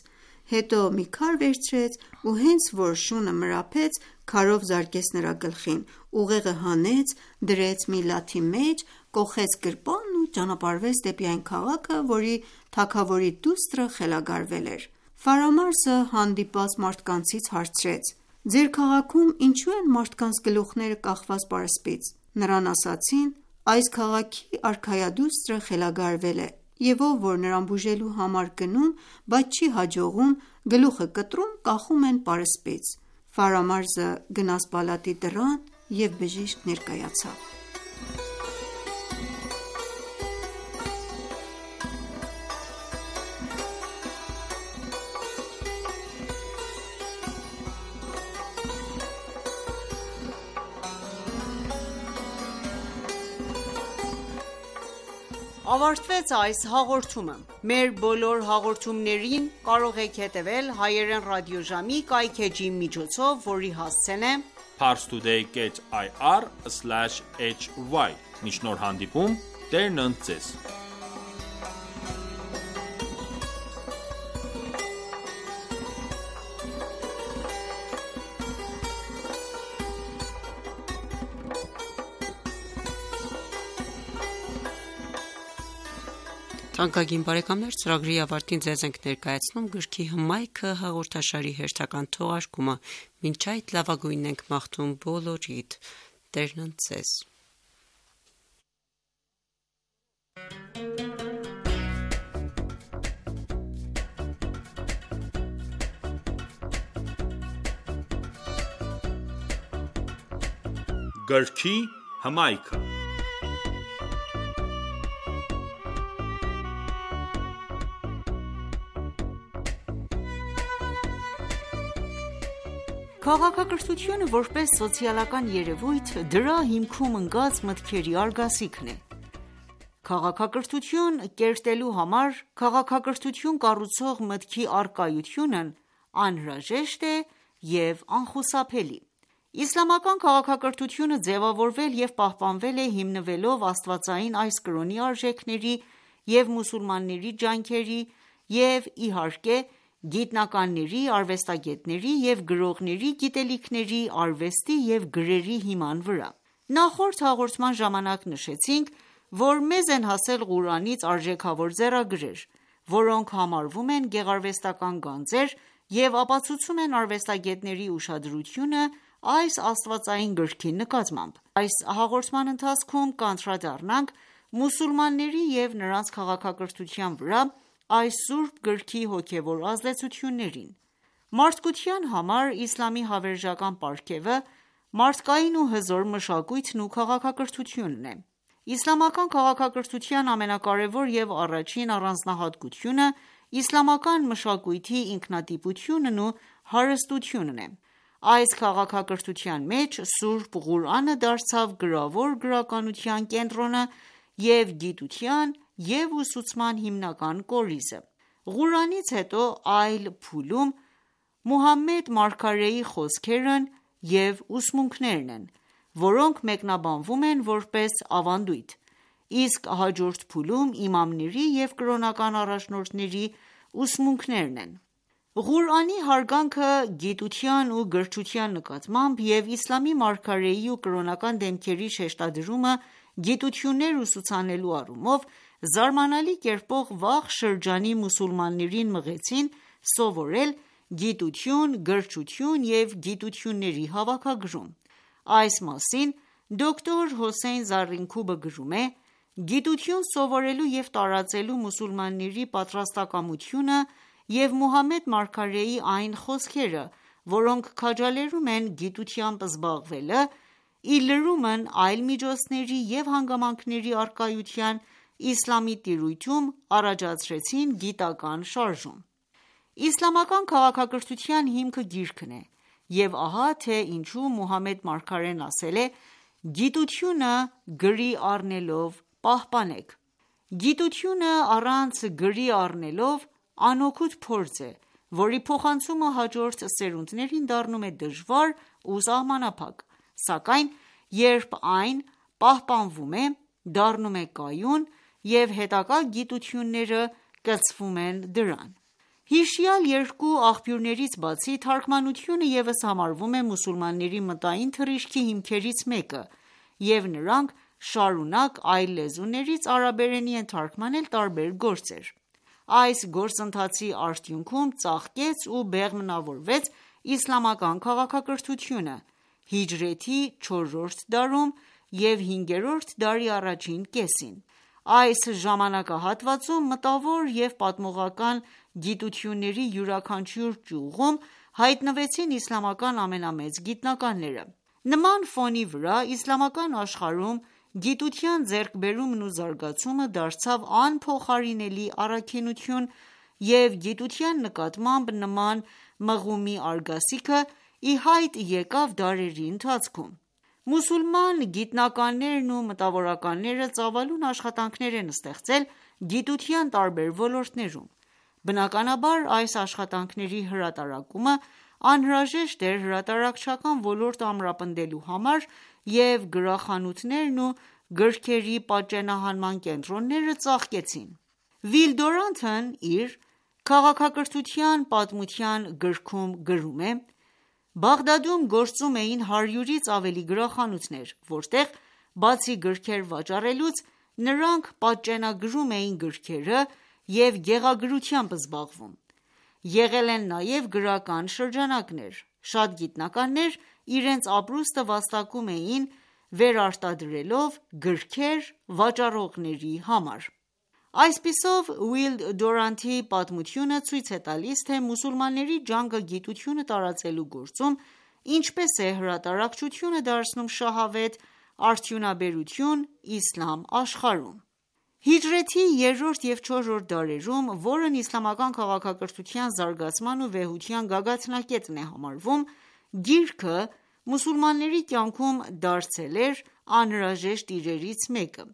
Հետո մի քար վերցրեց ու հենց որ շունը մրափեց, քարով զարկեց նրա գլխին, ուղեղը հանեց, դրեց մի լաթի մեջ, կոխեց գրպանն ու ճանապարհվեց դեպի այն քաղաքը, որի թագավորի դուստրը խելագարվել էր։ Ֆարամազը հանդիպած մարդկանցից հարցրեց. «Ձեր քաղաքում ինչու են մարդկանց գլուխները կախված պարսպից»։ Նրան ասացին. «Այս քաղաքի արքայադուստրը խելագարվել է, և ով որ նրան բուժելու համար գնում, բայց չի հաջողում, գլուխը կտրում, կախում են պարսպից»։ Ֆարամազը գնաց պալատի դռան և բժիշկ ներկայացավ։ ավարտվեց այս հաղորդումը: Մեր բոլոր հաղորդումներին կարող եք հետևել հայերեն ռադիոժամի կայքէջի միջոցով, որի հասցեն է parstoday dot i r slash h y: Մինչ նոր հանդիպում, Տերն ընդ ձեզ: Թանկագին բարեկամներ, ծրագրի ավարտին ձեզ ենք ներկայացնում գրքի հմայքը հաղորդաշարի հերթական թողարկումը: Մինչ այդ լավագույնն ենք մաղթում բոլորիդ: Տերն ընդ ձեզ: Գրքի հմայքը Քաղաքակրթությունը որպես սոցիալական երևույթ դրա հիմքում ընկած մտքերի արգասիքն է: Քաղաքակրթություն կերտելու համար քաղաքակրթություն կառուցող մտքի առկայությունն անհրաժեշտ է և անխուսափելի: Իսլամական քաղաքակրթությունը ձևավորվել և պահպանվել է հիմնվելով աստվածային այս կրոնի արժեքների և մուսուլմանների ջանքերի և, իհարկե, գիտնականների, արվեստագետների և գրողների գիտելիքների, արվեստի և գրերի հիման վրա: Նախորդ հաղորդման ժամանակ նշեցինք, որ մեզ են հասել Ղուրանից արժեքավոր ձեռագրեր, որոնք համարվում են գեղարվեստական գանձեր և ապացուցում են արվեստագետների ուշադրությունը այս աստվածային գրքի նկատմամբ: Այս հաղորդման ընթացքում կանդրադառնանք մուսուլմանների և նրանց քաղաքակրթության վրա այս սուրբ գրքի հոգևոր ազդեցություններին: Մարդկության համար իսլամի հավերժական պարգևը մարդկային ու հզոր մշակույթն ու քաղաքակրթությունն է: Իսլամական քաղաքակրթության ամենակարևոր և առաջին առանձնահատկությունը իսլամական մշակույթի ինքնատիպությունն ու հարստությունն է: Այս քաղաքակրթության մեջ սուրբ Ղուրանը դարձավ գրավոր գրականության կենտրոնը և գիտության և ուսուցման հիմնական կորիզը: Ղուրանից հետո այլ փուլում Մուհամմեդ մարգարեի խոսքերն և ուսմունքներն են, որոնք մեկնաբանվում են որպես ավանդույթ, իսկ հաջորդ փուլում իմամների և կրոնական առաջնորդների ուսմունքներն են: Ղուրանի հարգանքը գիտության ու գրչության նկատմամբ և իսլամի մարգարեի ու կրոնական դեմքերի շեշտադրումը գիտություններ ուսուցանելու առումով զարմանալի կերպով վաղ շրջանի մուսուլմաններին մղեցին սովորել գիտություն, գրչություն և գիտությունների հավաքագրում: Այս մասին դոկտոր Հոսեյն Զառինքուբը գրում է. «Գիտություն սովորելու և տարածելու մուսուլմանների պատրաստակամությունը և Մուհամմեդ մարգարեի այն խոսքերը, որոնք քաջալերում են գիտությամբ զբաղվելը, ի լրումն այլ միջոցների և հանգամանքների առկայության, իսլամի տիրույթում առաջացրեցին գիտական շարժում: Իսլամական քաղաքակրթության հիմքը գիրքն է և ահա թե ինչու Մուհամմեդ մարգարեն ասել է. «Գիտությունը գրի առնելով պահպանեք»: Գիտությունը առանց գրի առնելով անօգուտ փորձ է, որի փոխանցումը հաջորդ սերունդներին դառնում է դժվար ու սահմանափակ, սակայն երբ այն պահպանվում է, դառնում է կայուն և հետագա գիտությունները կցվում են դրան: Հիշյալ երկու աղբյուրներից բացի, թարգմանությունը ևս համարվում է մուսուլմանների մտային թռիչքի հիմքերից մեկը և նրանք շարունակ այլ լեզուներից արաբերենի են թարգմանել տարբեր գործեր: Այս գործընթացի արդյունքում ծաղկեց ու բեղմնավորվեց իսլամական քաղաքակրթությունը հիջրեթի չորրորդ դարում և հինգերորդ դարի առաջին կեսին: Այս ժամանակահատվածում մտավոր և պատմողական գիտությունների յուրաքանչյուր ճյուղում հայտնվեցին իսլամական ամենամեծ գիտնականները: Նման ֆոնի վրա իսլամական աշխարհում գիտության ձեռքբերումն ու զարգացումը դարձավ անփոխարինելի առաքինություն և գիտության նկատմամբ նման մղումի արգասիքը ի հայտ եկավ դարերի ընթացքում: Մուսուլման գիտնականներն ու մտավորականները ծավալուն աշխատանքներ են ստեղծել գիտության տարբեր ոլորտներում: Բնականաբար, այս աշխատանքների հրատարակումը անհրաժեշտ էր հրատարակչական ոլորտը ամրապնդելու համար և գրախանութներն ու գրքերի պատճենահանման կենտրոնները ծաղկեցին: Վիլ Դյուրանտն իր «Քաղաքակրթության պատմության» գրքում գրում է. «Բաղդադում գործում էին հարյուրից ավելի գրախանութներ, որտեղ բացի գրքեր վաճառելուց, նրանք պատճենագրում էին գրքերը և գեղագրությամբ զբաղվում: Եղել են նաև գրական շրջանակներ: Շատ գիտնականներ իրենց ապրուստը վաստակում էին վերարտադրելով գրքեր վաճառողների համար»: Այսպիսով, Վիլ Դյուրանտի պատմությունը ցույց է տալիս, թե մուսուլմանների ջանքը գիտությունը տարածելու գործում ինչպես է հրատարակչությունը դարձնում շահավետ արդյունաբերություն իսլամ աշխարհում: Հիջրեթի երրորդ և չորրորդ դարերում, որն իսլամական քաղաքակրթության զարգացման ու վեհության գագաթնակետն է համարվում, գիրքը մուսուլմանների կյանքում դարձել էր անհրաժեշտ իրերից մեկը: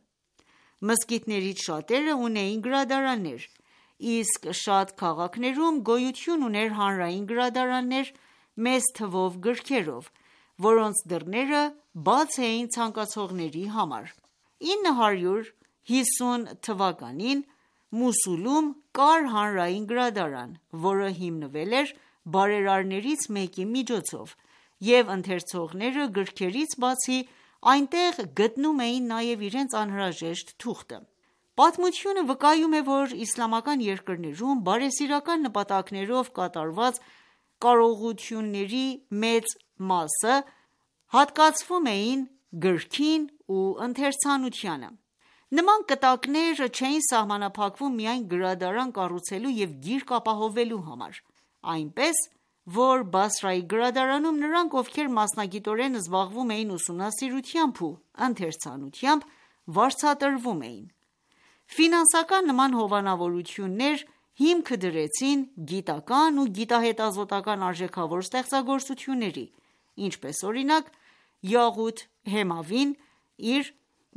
Մզկիթներից շատերը ունեին գրադարաններ, իսկ շատ քաղաքներում գոյություն ուներ հանրային գրադարաններ մեծ թվով գրքերով, որոնց դռները բաց էին ցանկացողների համար: ինը հարյուր հիսուն թվականին Մոսուլում կար հանրային գրադարան, որը հիմնվել էր բարերարներից մեկի միջոցով, և ընթերցողները գրքերից բացի այնտեղ գտնում էին նաև իրենց անհրաժեշտ թուղթը: Պատմությունը վկայում է, որ իսլամական երկրներում բարեսիրական նպատակներով կատարված կարողությունների մեծ մասը հատկացվում էին գրքին ու ընթերցանությանը: Նման կտակներ չէին սահմանափակվում միայն գրադարան կառուցելու և գիրք ապահովելու համար: Այնպես, որ Բասրայի գրադարանում նրանք, ովքեր մասնագիտորեն զբաղվում էին ուսումնասիրությամբ ու ընթերցանությամբ, վարձատրվում էին: Ֆինանսական նման հովանավորություններ հիմք դրեցին գիտական ու գիտահետազոտական արժեքավոր ստեղծագործությունների, ինչպես օրինակ Յաղութ Հեմավին իր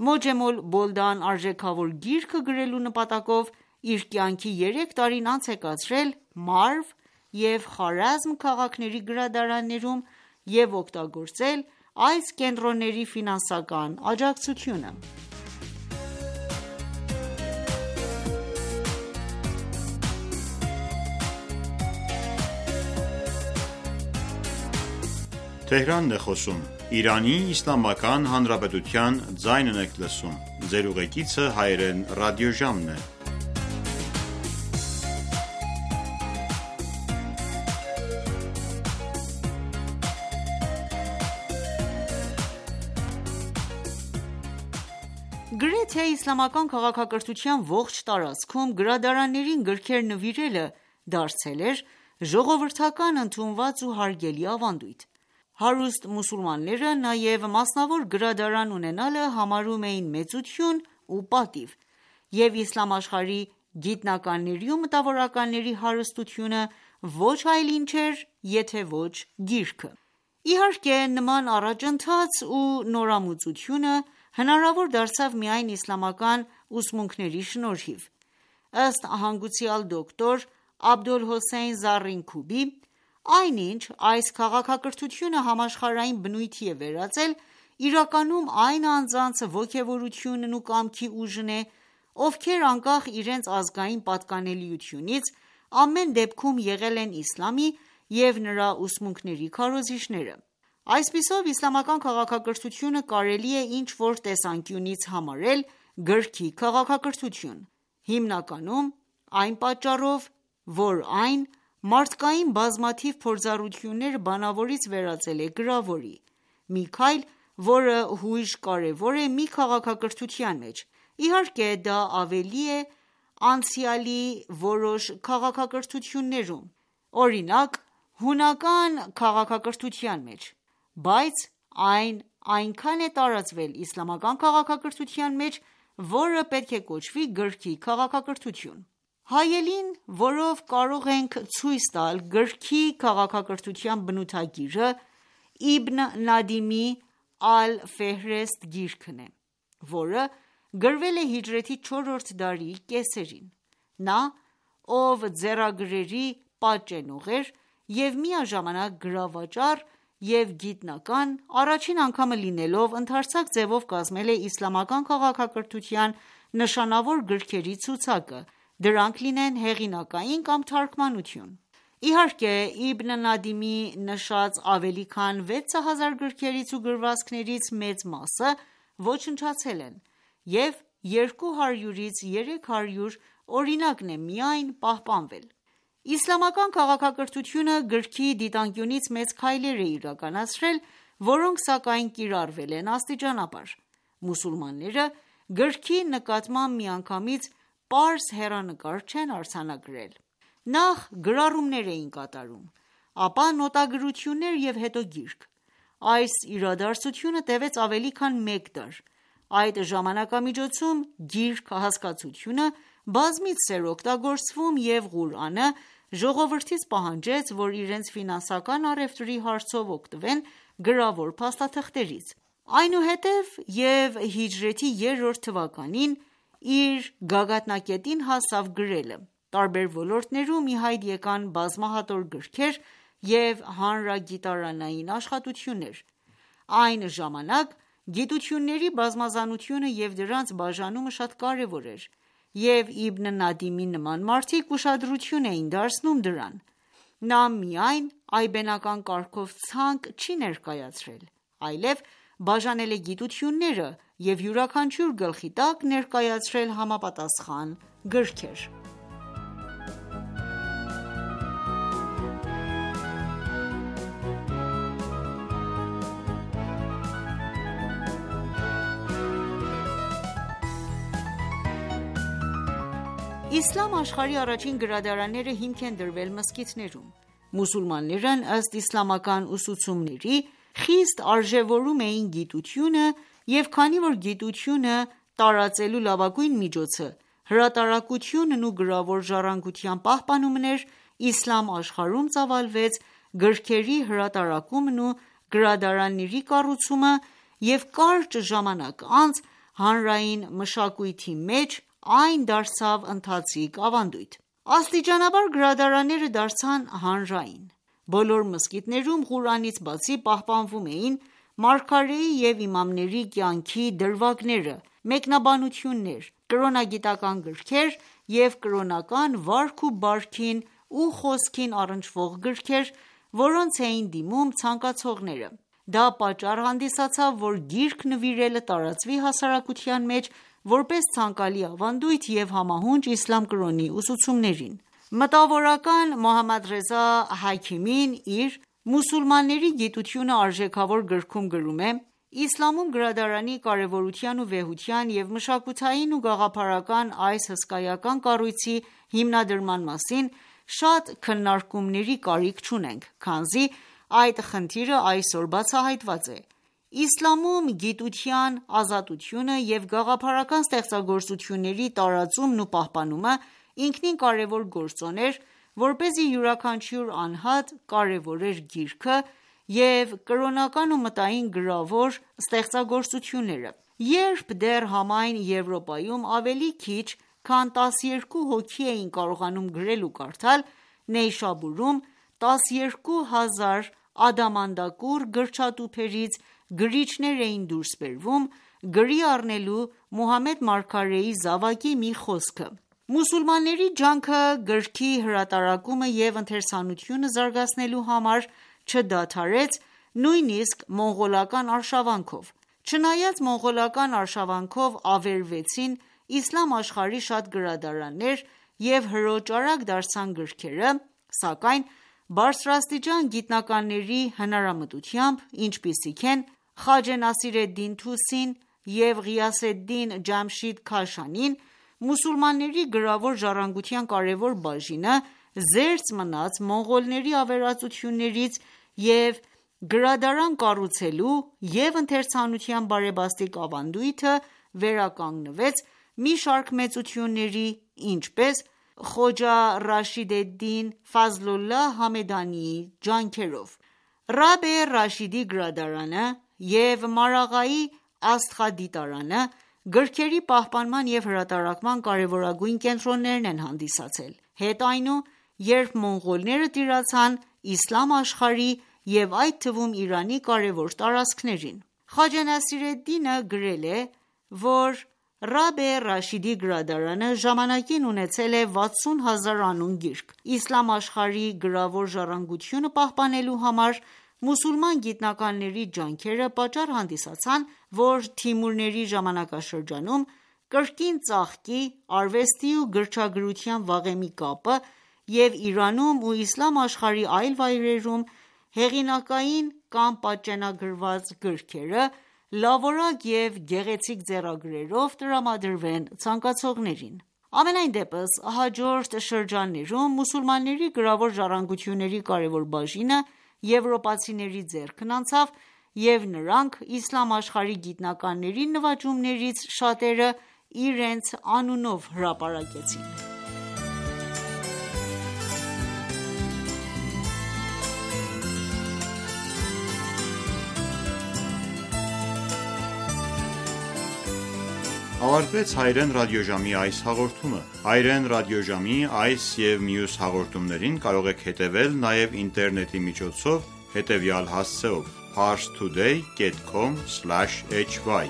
«Մոջեմ ալ-Բոլդան» արժեքավոր գիրքը գրելու նպատակով իր կյանքի երեք տարին անց է կացրել Մարվ և Խարազմ քաղաքների գրադարաններում և օգտագործել այս կենտրոնների ֆինանսական աջակցությունը: Գրեթե իսլամական քաղաքակրթության ողջ տարածքում գրադարաններին գրքեր նվիրելը դարձել էր ժողովրդական ընդունված ու հարգելի ավանդույթ: Հարուստ մուսուլմանները նաև մասնավոր գրադարան ունենալը համարում էին մեծություն ու պատիվ և իսլամ աշխարհի գիտնականների ու մտավորականների հարստությունը ոչ այլ ինչ էր, եթե ոչ գիրքը: Իհարկե, նման առաջընթաց ու նորամուծությունը հնարավոր դարձավ միայն իսլամական ուսմունքների շնորհիվ: Ըստ հանգուցյալ դոկտոր Աբոլհոսեյն Զառինքուբի, այնինչ այս քաղաքակրթությունը համաշխարհային բնույթի է վերածել, իրականում այն անձանց ոգևորությունն ու կամքի ուժն է, ովքեր անկախ իրենց ազգային պատկանելիությունից, ամեն դեպքում եղել են իսլամի և նրա ուսմունքների քարոզիչները: Այսպիսով, իսլամական քաղաքակրթությունը կարելի է ինչ-որ տեսանկյունից համարել գրքի քաղաքակրթություն, հիմնականում այն պատճառով, որ այն մարդկային բազմաթիվ փորձառությունները բանավորից վերածել է գրավորի: Մի քայլ, որը հույժ կարևոր է մի քաղաքակրթության մեջ: Իհարկե, դա ավելի է անցյալի որոշ քաղաքակրթություններում, օրինակ հունական քաղաքակրթության մեջ, բայց այն այնքան է տարածվել իսլամական քաղաքակրթության մեջ, որը պետք է կոչվի գրքի քաղաքակրթություն: Հայելին, որով կարող ենք ցույց տալ գրքի քաղաքակրթության բնութագիրը, Իբն Նադիմի Ալ-Ֆեհրեստ գիրքն է, որը գրվել է հիջրեթի չորրորդ դարի կեսերին: Նա, ով ձեռագրերի պատճենող էր և միաժամանակ գրավաճառ և գիտնական, առաջին անգամը լինելով, ընդարձակ ձևով կազմել է իսլամական քաղաքակրթության նշանավոր գրքերի ցուցակը, դրանք լինեն հեղինակային կամ թարգմանություն: Իհարկե, Իբն Նադիմի նշած ավելի քան վեց հազար գրքերից ու գրվածքներից մեծ մասը ոչնչացել են, և երկու հարյուրից երեք հարյուր օրինակն է միայն պահպանվել: Իսլամական քաղաքակրթությունը գրքի դիտանկյունից մեծ քայլեր է իրականացրել, որոնք սակայն կիրառվել են աստիճանաբար: Մուսուլմանները գրքի նկատմամբ միանգամից պարզ հեռանկար չեն արձանագրել: Նախ գրառումներ էին կատարում, ապա նոտագրություններ և հետո գիրք: Այս իրադարձությունը տևեց ավելի քան մեկ դար: Այդ ժամանակամիջոցում գիրք հասկացությունը բազմիցս էր օգտագործվում և Ղուրանը ժողովրդից պահանջեց, որ իրենց ֆինանսական առևտրի հարցով օգտվեն գրավոր փաստաթղթերից: Այնուհետև և հիջրեթի երրորդ թվականին իր գագաթնակետին հասավ գրելը: Տարբեր ոլորտներում ի հայտ եկան բազմահատոր գրքեր և հանրագիտարանային աշխատություններ: Այն ժամանակ գիտությունների բազմազանությունը և դրանց բաժանումը շատ կարևոր էր, և Իբն Նադիմի նման մարդիկ ուշադրություն էին դարձնում դրան: Նա միայն այբենական կարգով ցանկ չի ներկայացրել, այլև բաժանել է գիտությունները և յուրաքանչյուր գլխի տակ ներկայացրել համապատասխան գրքեր: Իսլամ աշխարհի առաջին գրադարանները հիմք են դրվել մզկիթներում: Մուսուլմաններն ըստ իսլամական ուսուցումների, խիստ արժևորում էին գիտությունը և քանի որ գիտությունը տարածելու լավագույն միջոցը հրատարակությունն ու գրավոր ժառանգության պահպանումն էր, իսլամ աշխարհում ծավալվեց գրքերի հրատարակումն ու գրադարանների կառուցումը և կարճ ժամանակ անց հանրային մշակույթի մեջ այն դարձավ ընթացիկ ավանդույթ: Աստիճանաբար գրադարանները դարձան հանրային: Բոլոր մզկիթներում Ղուրանից բացի պահպանվում էին մարգարեի և իմամների կյանքի դրվագները, մեկնաբանություններ, կրոնագիտական գրքեր և կրոնական վարք ու բարքին ու խոսքին առնչվող գրքեր, որոնց էին դիմում ցանկացողները: Դա պատճառ հանդիսացավ, որ գիրք նվիրելը տարածվի հասարակության մեջ, որպես ցանկալի ավանդույթ և համահունչ իսլամ կրոնի ուսուցումներին: Մտավորական Մոհամմադռեզա Հաքիմին իր «Մուսուլմանների գիտությունը» արժեքավոր գրքում գրում է. «Իսլամում գրադարանի կարևորության ու վեհության և մշակութային ու գաղափարական այս հսկայական կառույցի հիմնադրման մասին շատ քննարկումների կարիք չունենք, քանզի այդ խնդիրը այսօր բացահայտված է: Իսլամում գիտության ազատությունը և գաղափարական ստեղծագործությունների տարածումն ու պահպանումը ինքնին կարևոր գործոն էր, որպեսզի յուրաքանչյուր անհատ կարևորեր գիրքը և կրոնական ու մտային գրավոր ստեղծագործությունները: Երբ դեռ համայն Եվրոպայում ավելի քիչ քան տասներկու հոգի էին կարողանում գրել ու կարդալ, Նեյշաբուրում տասներկու հազար ադամանդակուռ գրչատուփերից գրիչներ էին դուրս բերվում, գրի առնելու Մուհամմեդ մարգարեի զավակի մի խոսքը: Մուսուլմանների ջանքը գրքի հրատարակումը և ընթերցանությունը զարգացնելու համար չդադարեց նույնիսկ մոնղոլական արշավանքով: Չնայած մոնղոլական արշավանքով ավերվեցին իսլամ աշխարհի շատ գրադարաններ և հրոճարակ դարձան գրքերը, սակայն բարձրաստիճան գիտնականների հնարամտությամբ, ինչպիսիք են Խաջե Նասիր Էդդին Թուսին և Ղիյասեդդին Ջամշիդ Քաշանին, մուսուլմանների գրավոր ժառանգության կարևոր բաժինը զերծ մնաց մոնղոլների ավերածություններից և գրադարան կառուցելու և ընթերցանության բարեբաստիկ ավանդույթը վերականգնվեց մի շարք մեծությունների, ինչպես Խոջա Ռաշիդ Էդդին Ֆազլոլլահ Համեդանիի ջանքերով: Ռաբե Ռաշիդի գրադարանը և Մարաղայի աստղադիտարանը գրքերի պահպանման և հրատարակման կարևորագույն կենտրոններն են հանդիսացել: Հետո այնու, երբ մոնղոլները տիրացան իսլամ աշխարհի և այդ թվում Իրանի կարևոր տարածքներին: Խաջա Նասիր Էդդինը գրել է, որ Ռաբե Ռաշիդի գրադարանը ժամանակին ունեցել է վաթսուն հազար անուն գիրք: Իսլամ աշխարհի գրավոր ժառանգությունը պահպանելու համար մուսուլման գիտնականների ջանքերը պատճառ հանդիսացան, որ Թիմուրների ժամանակաշրջանում կրկին ծաղկի արվեստի ու գրչագրության վաղեմի կապը և Իրանում ու իսլամ աշխարհի այլ վայրերում հեղինակային կամ պատճենագրված գրքերը լավորակ և գեղեցիկ ձեռագրերով տրամադրվեն ցանկացողներին: Համենայն դեպս, հաջորդ շրջաններում մուսուլմանների գրավոր ժառանգությունների կարևոր բաժինը եվրոպացիների ձեռքն անցավ և նրանք իսլամ աշխարհի գիտնականների նվաճումներից շատերը իրենց անունով հրապարակեցին: Ավարտվեց հայրեն ռադիոժամի այս հաղորդումը: Հայրեն ռադիոժամի այս և մյուս հաղորդումներին կարող եք հետևել նաև ինտերնետի միջոցով հետևյալ հասցեով՝ parstoday dot com slash h y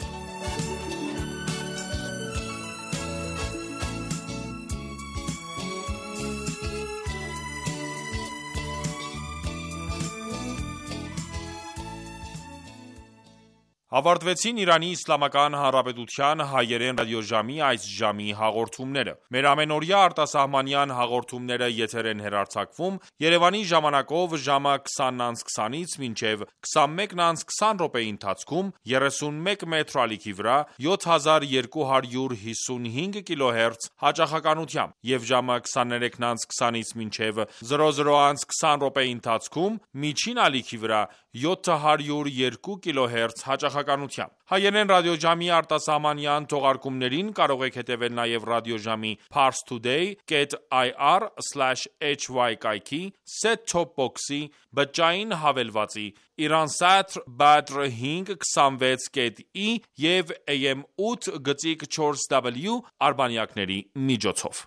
Ավարտվեցին Իրանի Իսլամական Հանրապետության հայերեն ռադիոժամի այս ժամի հաղորդումները: Մեր ամենօրյա արտասահմանյան հաղորդումները եթեր են հեռարձակվում Երևանի ժամանակով ժամը քսանից քսանից մինչև քսանմեկը քսան րոպեի ընթացքում երեսուն մեկ մեթր ալիքի վրա յոթ հազար երկու հարյուր հիսունհինգ կիլոհերց հաճախականությամբ և ժամը քսաներեքը քսանից մինչև զրո զրո քսան րոպեի ընթացքում միջին ալիքի վրա յոթ հարյուր երկու կիլոհերց հաճախականությամբ: Հայերեն ռադիոժամի արտասահմանյան թողարկումներին կարող եք հետևել նաև ռադիոժամի parstoday dot i r slash h y կայքի, set-top box-ի, բջջային հավելվածի, Iransat Badr հինգ քսանվեց կետ ի և A M ութ գծիկ չորս w արբանյակների միջոցով: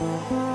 Thank you.